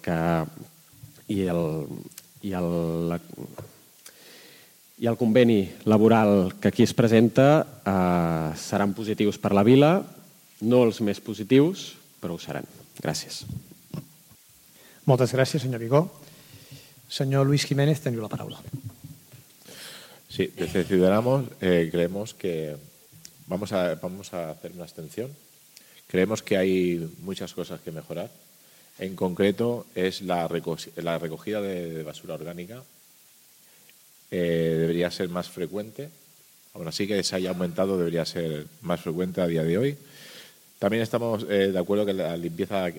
conveni laboral que aquí es presenta seran positius per la vila, no els més positius, però ho seran. Gràcies. Moltes gràcies, senyor Vigó. Senyor Luis Jiménez, teniu la paraula. Sí, desde Ciudadanos creemos que vamos a hacer una abstención. Creemos que hay muchas cosas que mejorar. En concreto es la recogida de basura orgánica. Debería ser más frecuente. Aún así que se haya aumentado, debería ser más frecuente a día de hoy. También estamos de acuerdo que la limpieza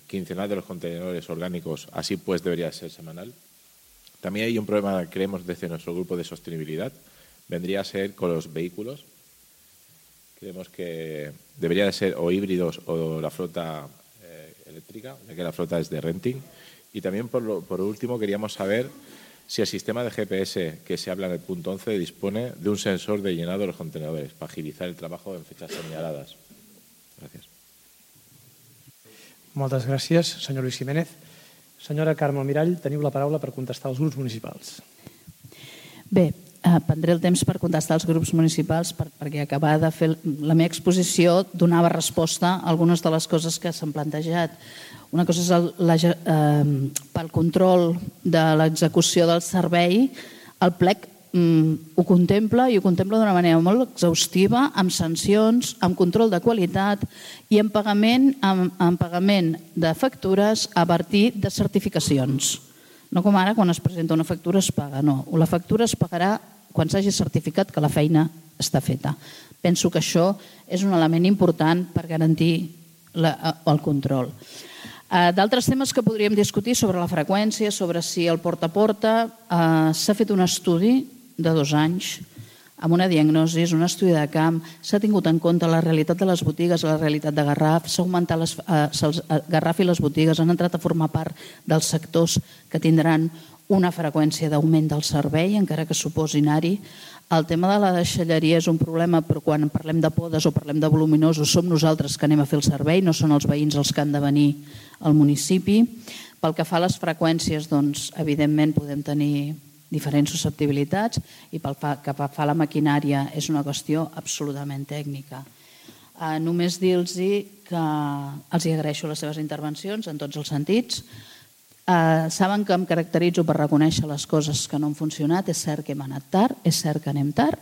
quincenal de los contenedores orgánicos así pues debería ser semanal. También hay un problema, creemos, desde nuestro grupo de sostenibilidad. Vendría a ser con los vehículos. Creemos que debería de ser o híbridos o la flota eléctrica, ya que la flota es de renting. Y también, por último, queríamos saber si el sistema de GPS que se habla en el punto 11 dispone de un sensor de llenado de los contenedores para agilizar el trabajo en fechas señaladas. Gràcies. Moltes gràcies, senyor Luis Jiménez. Senyora Carme Almirall, teniu la paraula per contestar als grups municipals. Bé, prendré el temps per contestar als grups municipals perquè acabar de fer la meva exposició donava resposta a algunes de les coses que s'han plantejat. Una cosa és pel control de l'execució del servei, el plec ho contempla i ho contempla d'una manera molt exhaustiva, amb sancions, amb control de qualitat i amb pagament de factures a partir de certificacions. No com ara, quan es presenta una factura es paga, no. La factura es pagarà quan s'hagi certificat que la feina està feta. Penso que això és un element important per garantir el control. D'altres temes que podríem discutir sobre la freqüència, sobre si el porta a porta, s'ha fet un estudi de 2 anys amb una diagnosi, un estudi de camp, s'ha tingut en compte la realitat de les botigues, la realitat de Garraf, s'ha augmentat Garraf i les botigues han entrat a formar part dels sectors que tindran una freqüència d'augment del servei, encara que suposi anar-hi. El tema de la deixalleria és un problema, però quan parlem de podes o parlem de voluminosos som nosaltres que anem a fer el servei, no són els veïns els que han de venir al municipi. Pel que fa a les freqüències, doncs, evidentment podem tenir diferents susceptibilitats i pel que fa a la maquinària és una qüestió absolutament tècnica. Només dir-los que els agraeixo les seves intervencions en tots els sentits. Saben que em caracteritzo per reconèixer les coses que no han funcionat. És cert que hem anat tard, és cert que anem tard,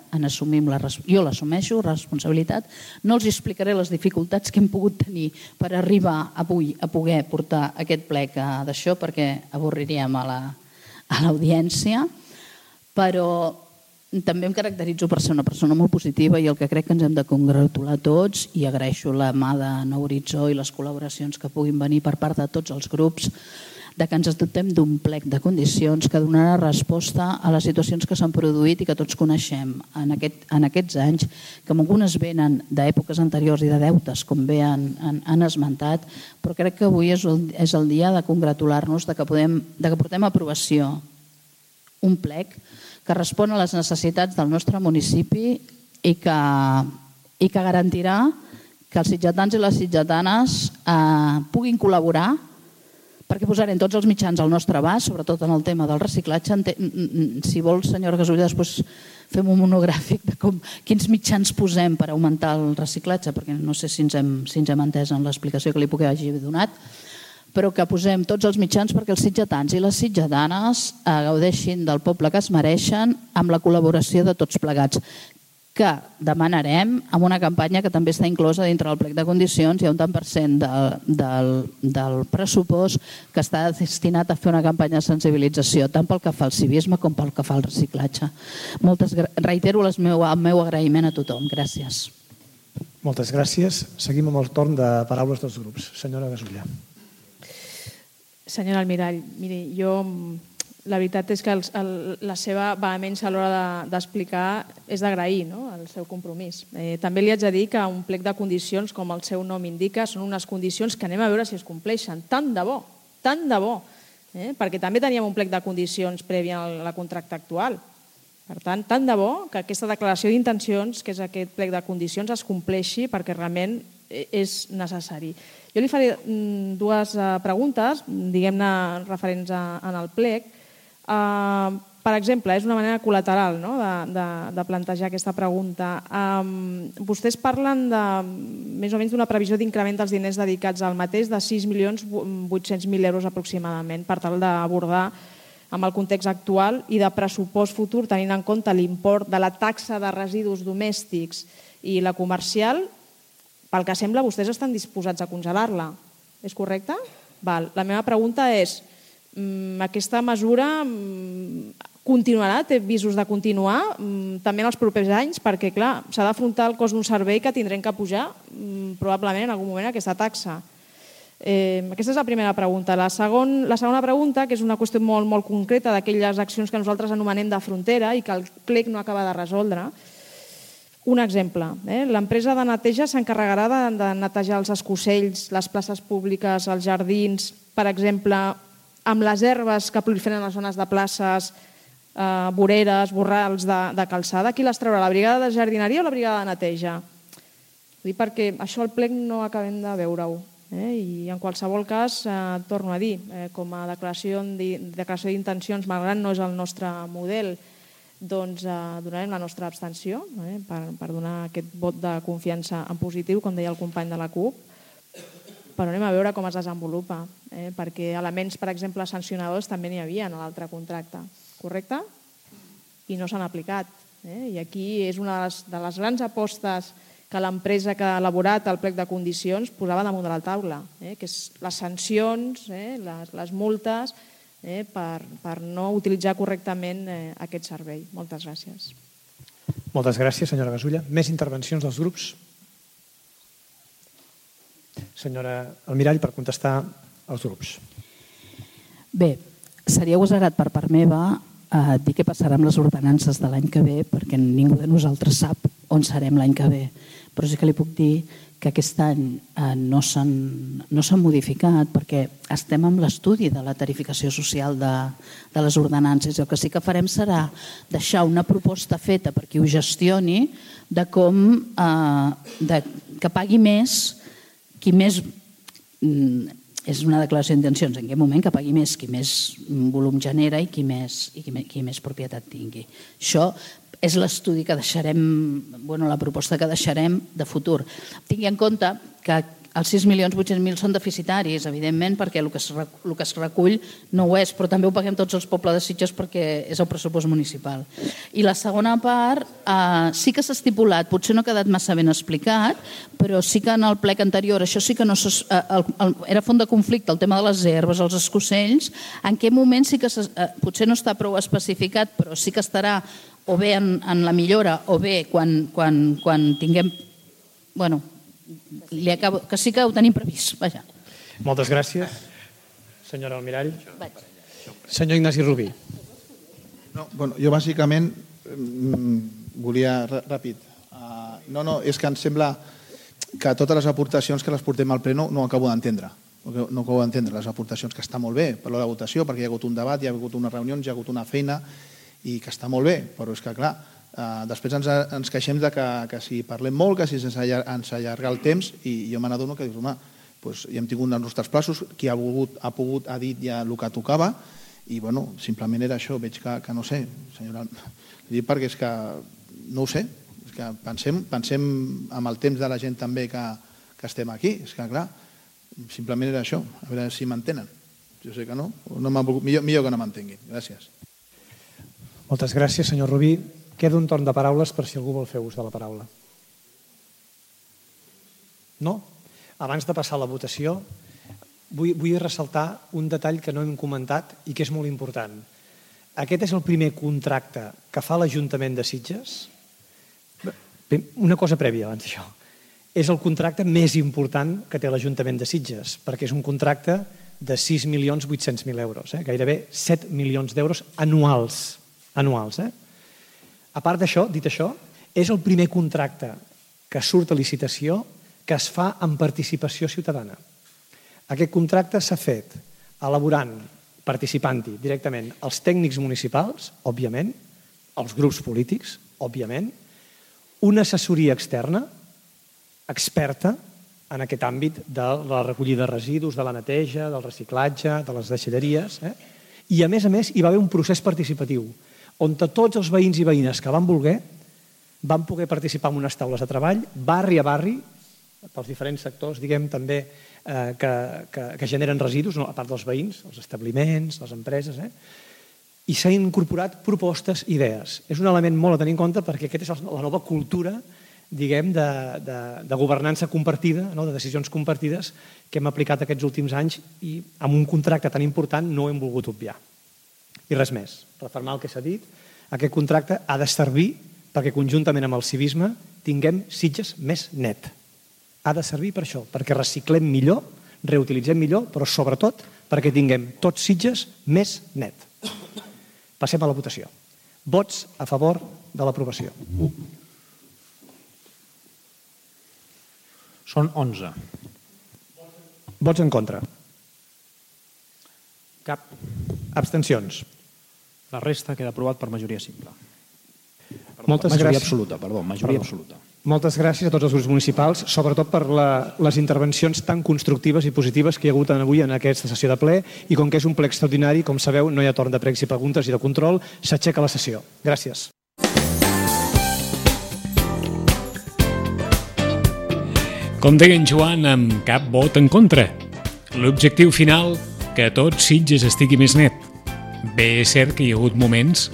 jo l'assumeixo, responsabilitat. No els explicaré les dificultats que hem pogut tenir per arribar avui a poder portar aquest plec d'això perquè avorriríem a l'audiència, però també em caracteritzo per ser una persona molt positiva i el que crec que ens hem de congratular tots, i agraeixo la mà de Nou Horitzó i les col·laboracions que puguin venir per part de tots els grups, de que ens dotem d'un plec de condicions que donarà resposta a les situacions que s'han produït i que tots coneixem en aquests anys, que algunes venen d'èpoques anteriors i de deutes, com bé han esmentat, però crec que avui és el dia de congratular-nos de que portem a aprovació un plec que respon a les necessitats del nostre municipi i que garantirà que els sitgetans i les sitgetanes puguin col·laborar, perquè posarem tots els mitjans al nostre abast, sobretot en el tema del reciclatge. Si vol, senyora Gasulla, després fem un monogràfic de quins mitjans posem per augmentar el reciclatge, perquè no sé si ens hem entès en l'explicació que li puc hagi donat, però que posem tots els mitjans perquè els sitgetans i les sitgetanes gaudeixin del poble que es mereixen amb la col·laboració de tots plegats, que demanarem amb una campanya que també està inclosa dintre del plec de condicions. Hi ha un tant per cent del pressupost que està destinat a fer una campanya de sensibilització, tant pel que fa al civisme com pel que fa al reciclatge. Reitero el meu agraïment a tothom. Gràcies. Moltes gràcies. Seguim amb el torn de paraules dels grups. Senyora Gasulla. Senyora Almirall, miri, jo la veritat és que la seva vehemència a l'hora d'explicar és d'agrair el seu compromís. També li haig de dir que un plec de condicions, com el seu nom indica, són unes condicions que anem a veure si es compleixen. Tant de bo, perquè també teníem un plec de condicions previ a la contracte actual. Per tant, tant de bo que aquesta declaració d'intencions, que és aquest plec de condicions, es compleixi perquè realment és necessari. Jo li faré 2 preguntes, diguem-ne referents en el plec. Per exemple, és una manera col·lateral de plantejar aquesta pregunta. Vostès parlen més o menys d'una previsió d'increment dels diners dedicats al mateix de 6.800.000 euros aproximadament per tal d'abordar amb el context actual i de pressupost futur tenint en compte l'import de la taxa de residus domèstics i la comercial. Pel que sembla, vostès estan disposats a congelar-la. És correcte? La meva pregunta és: aquesta mesura continuarà, té visos de continuar també en els propers anys, perquè clar, s'ha d'afrontar el cost d'un servei que tindrem que pujar probablement en algun moment aquesta taxa. Aquesta és la primera pregunta. La segona pregunta, que és una qüestió molt concreta d'aquelles accions que nosaltres anomenem de frontera i que el plec no acaba de resoldre. Un exemple, l'empresa de neteja s'encarregarà de netejar els escossells, les places públiques, els jardins, per exemple, amb les herbes que proliferen a les zones de places, voreres, borrals de calçada. Qui les traurà, la brigada de jardineria o la brigada de neteja? Vull dir, perquè això al plec no acabem de veure-ho. I en qualsevol cas, torno a dir, com a declaració d'intencions, malgrat no és el nostre model, doncs donarem la nostra abstenció per donar aquest vot de confiança en positiu, com deia el company de la CUP, però anem a veure com es desenvolupa, perquè elements, per exemple, sancionadors també n'hi havia en l'altre contracte, correcte? I no s'han aplicat. I aquí és una de les grans apostes que l'empresa que ha elaborat el plec de condicions posava damunt de la taula, que és les sancions, les multes, per no utilitzar correctament aquest servei. Moltes gràcies. Moltes gràcies, senyora Gasulla. Més intervencions dels grups? Senyora Almirall, per contestar als grups. Bé, seria agosarat per part meva dir què passarà amb les ordenances de l'any que ve, perquè ningú de nosaltres sap on serem l'any que ve. Però sí que li puc dir que aquest any no s'han modificat perquè estem amb l'estudi de la tarificació social de les ordenances. El que sí que farem serà deixar una proposta feta per qui ho gestioni de com que pagui més qui més... És una declaració d'intencions, en aquest moment que pagui més qui més volum genera i qui més propietat tingui. Això és l'estudi que deixarem, la proposta que deixarem de futur. Tingui en compte que els 6.800.000 són deficitaris, evidentment, perquè el que es recull no ho és, però també ho paguem tots els pobles de Sitges perquè és el pressupost municipal. I la segona part sí que s'ha estipulat, potser no ha quedat massa ben explicat, però sí que en el plec anterior, això sí que no era font de conflicte, el tema de les herbes, els escocells, en què moment sí que potser no està prou especificat, però sí que estarà o bé en la millora o bé quan tinguem... que sí que ho tenim previst. Vaja. Moltes gràcies, senyora Almirall. Senyor Ignasi Rubí. Jo bàsicament volia... Ràpid. És que em sembla que totes les aportacions que les portem al ple no acabo d'entendre. No acabo d'entendre les aportacions, que està molt bé per la votació, perquè hi ha hagut un debat, hi ha hagut unes reunions, hi ha hagut una feina i que està molt bé, però és que clar, després ens queixem que si parlem molt, que si ens allarga el temps, i jo me n'adono que dius, home, ja hem tingut els nostres plaços, qui ha pogut ha dit ja el que tocava, i simplement era això. Veig que no sé, senyora, li dic perquè és que no ho sé, és que pensem amb el temps de la gent també que estem aquí, és que clar, simplement era això, a veure si m'entenen. Jo sé que no, millor que no m'entenguin. Gràcies. Moltes gràcies, senyor Rubí. Queda un torn de paraules per si algú vol fer ús de la paraula. No? Abans de passar a la votació, vull ressaltar un detall que no hem comentat i que és molt important. Aquest és el primer contracte que fa l'Ajuntament de Sitges. Una cosa prèvia abans d'això. És el contracte més important que té l'Ajuntament de Sitges, perquè és un contracte de 6.800.000 euros, gairebé 7 milions d'euros anuals. A part d'això, dit això, és el primer contracte que surt a licitació que es fa amb participació ciutadana. Aquest contracte s'ha fet elaborant, participant-hi directament els tècnics municipals, òbviament, els grups polítics, òbviament, una assessoria externa, experta en aquest àmbit de la recollida de residus, de la neteja, del reciclatge, de les deixalleries, i a més, hi va haver un procés participatiu on tots els veïns i veïnes que van voler van poder participar en unes taules de treball, barri a barri, pels diferents sectors, diguem, també, que generen residus, a part dels veïns, els establiments, les empreses, i s'han incorporat propostes, idees. És un element molt a tenir en compte perquè aquesta és la nova cultura, diguem, de governança compartida, de decisions compartides que hem aplicat aquests últims anys i amb un contracte tan important no hem volgut obviar. I res més, refermar el que s'ha dit, aquest contracte ha de servir perquè conjuntament amb el civisme tinguem Sitges més net. Ha de servir per això, perquè reciclem millor, reutilitzem millor, però sobretot perquè tinguem tots Sitges més net. Passem a la votació. Vots a favor de l'aprovació. Són 11. Vots en contra. Cap. Abstencions. La resta queda aprovat per majoria simple. Moltes majoria gràcies. absoluta, perdó, majoria absoluta. Moltes gràcies a tots els grups municipals, sobretot per les intervencions tan constructives i positives que hi ha hagut avui en aquesta sessió de ple, i com que és un ple extraordinari, com sabeu, no hi ha torn de pregs i preguntes i de control, s'aixeca la sessió. Gràcies. Com deia en Joan, amb cap vot en contra. L'objectiu final, que tot Sitges estigui més net. Bé, és cert que hi ha hagut moments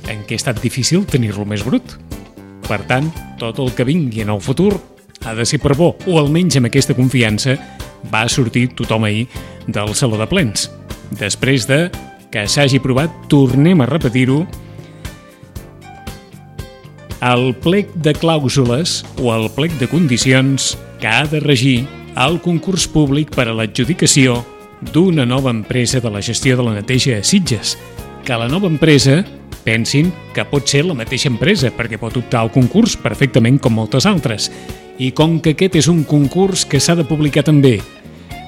en què ha estat difícil tenir-lo més brut. Per tant, tot el que vingui en el futur ha de ser per bo, o almenys amb aquesta confiança va sortir tothom ahir del Saló de Plens. Després de que s'hagi aprovat, tornem a repetir-ho, el plec de clàusules o el plec de condicions que ha de regir el concurs públic per a l'adjudicació d'una nova empresa de la gestió de la neteja a Sitges. Que la nova empresa pensin que pot ser la mateixa empresa, perquè pot optar al concurs perfectament com moltes altres. I com que aquest és un concurs que s'ha de publicar també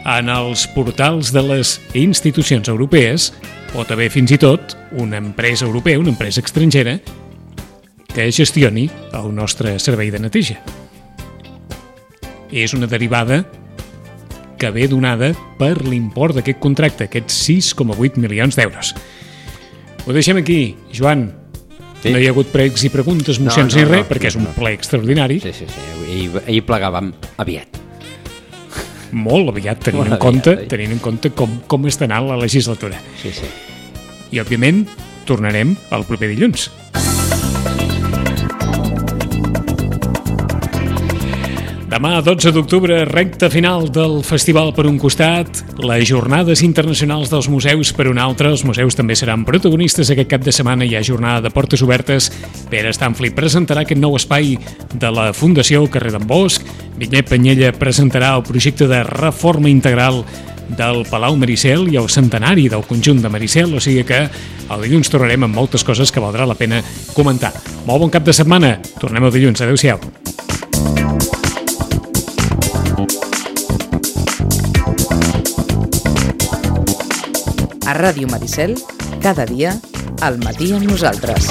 en els portals de les institucions europees, pot haver fins i tot una empresa europea, una empresa estrangera, que gestioni el nostre servei de neteja. És una derivada que ve donada per l'import d'aquest contracte, aquests 6,8 milions d'euros. Ho deixem aquí, Joan. Sí. No hi ha hagut pregs i preguntes, mocions ni res, perquè és un ple extraordinari. Sí. Ahir plegàvem aviat. Molt aviat, tenint en compte com està anant la legislatura. Sí. I, òbviament, tornarem el proper dilluns. Demà, 12 d'octubre, recta final del festival per un costat, les jornades internacionals dels museus per un altre. Els museus també seran protagonistes aquest cap de setmana. Hi ha jornada de portes obertes. Pere Stanfli presentarà aquest nou espai de la Fundació al carrer d'en Bosch. Vinyet Penyella presentarà el projecte de reforma integral del Palau Maricel i el centenari del conjunt de Maricel, o sigui que el dilluns tornarem amb moltes coses que valdrà la pena comentar. Molt bon cap de setmana. Tornem el dilluns. Adéu-siau. A Ràdio Maricel, cada dia, al matí amb nosaltres.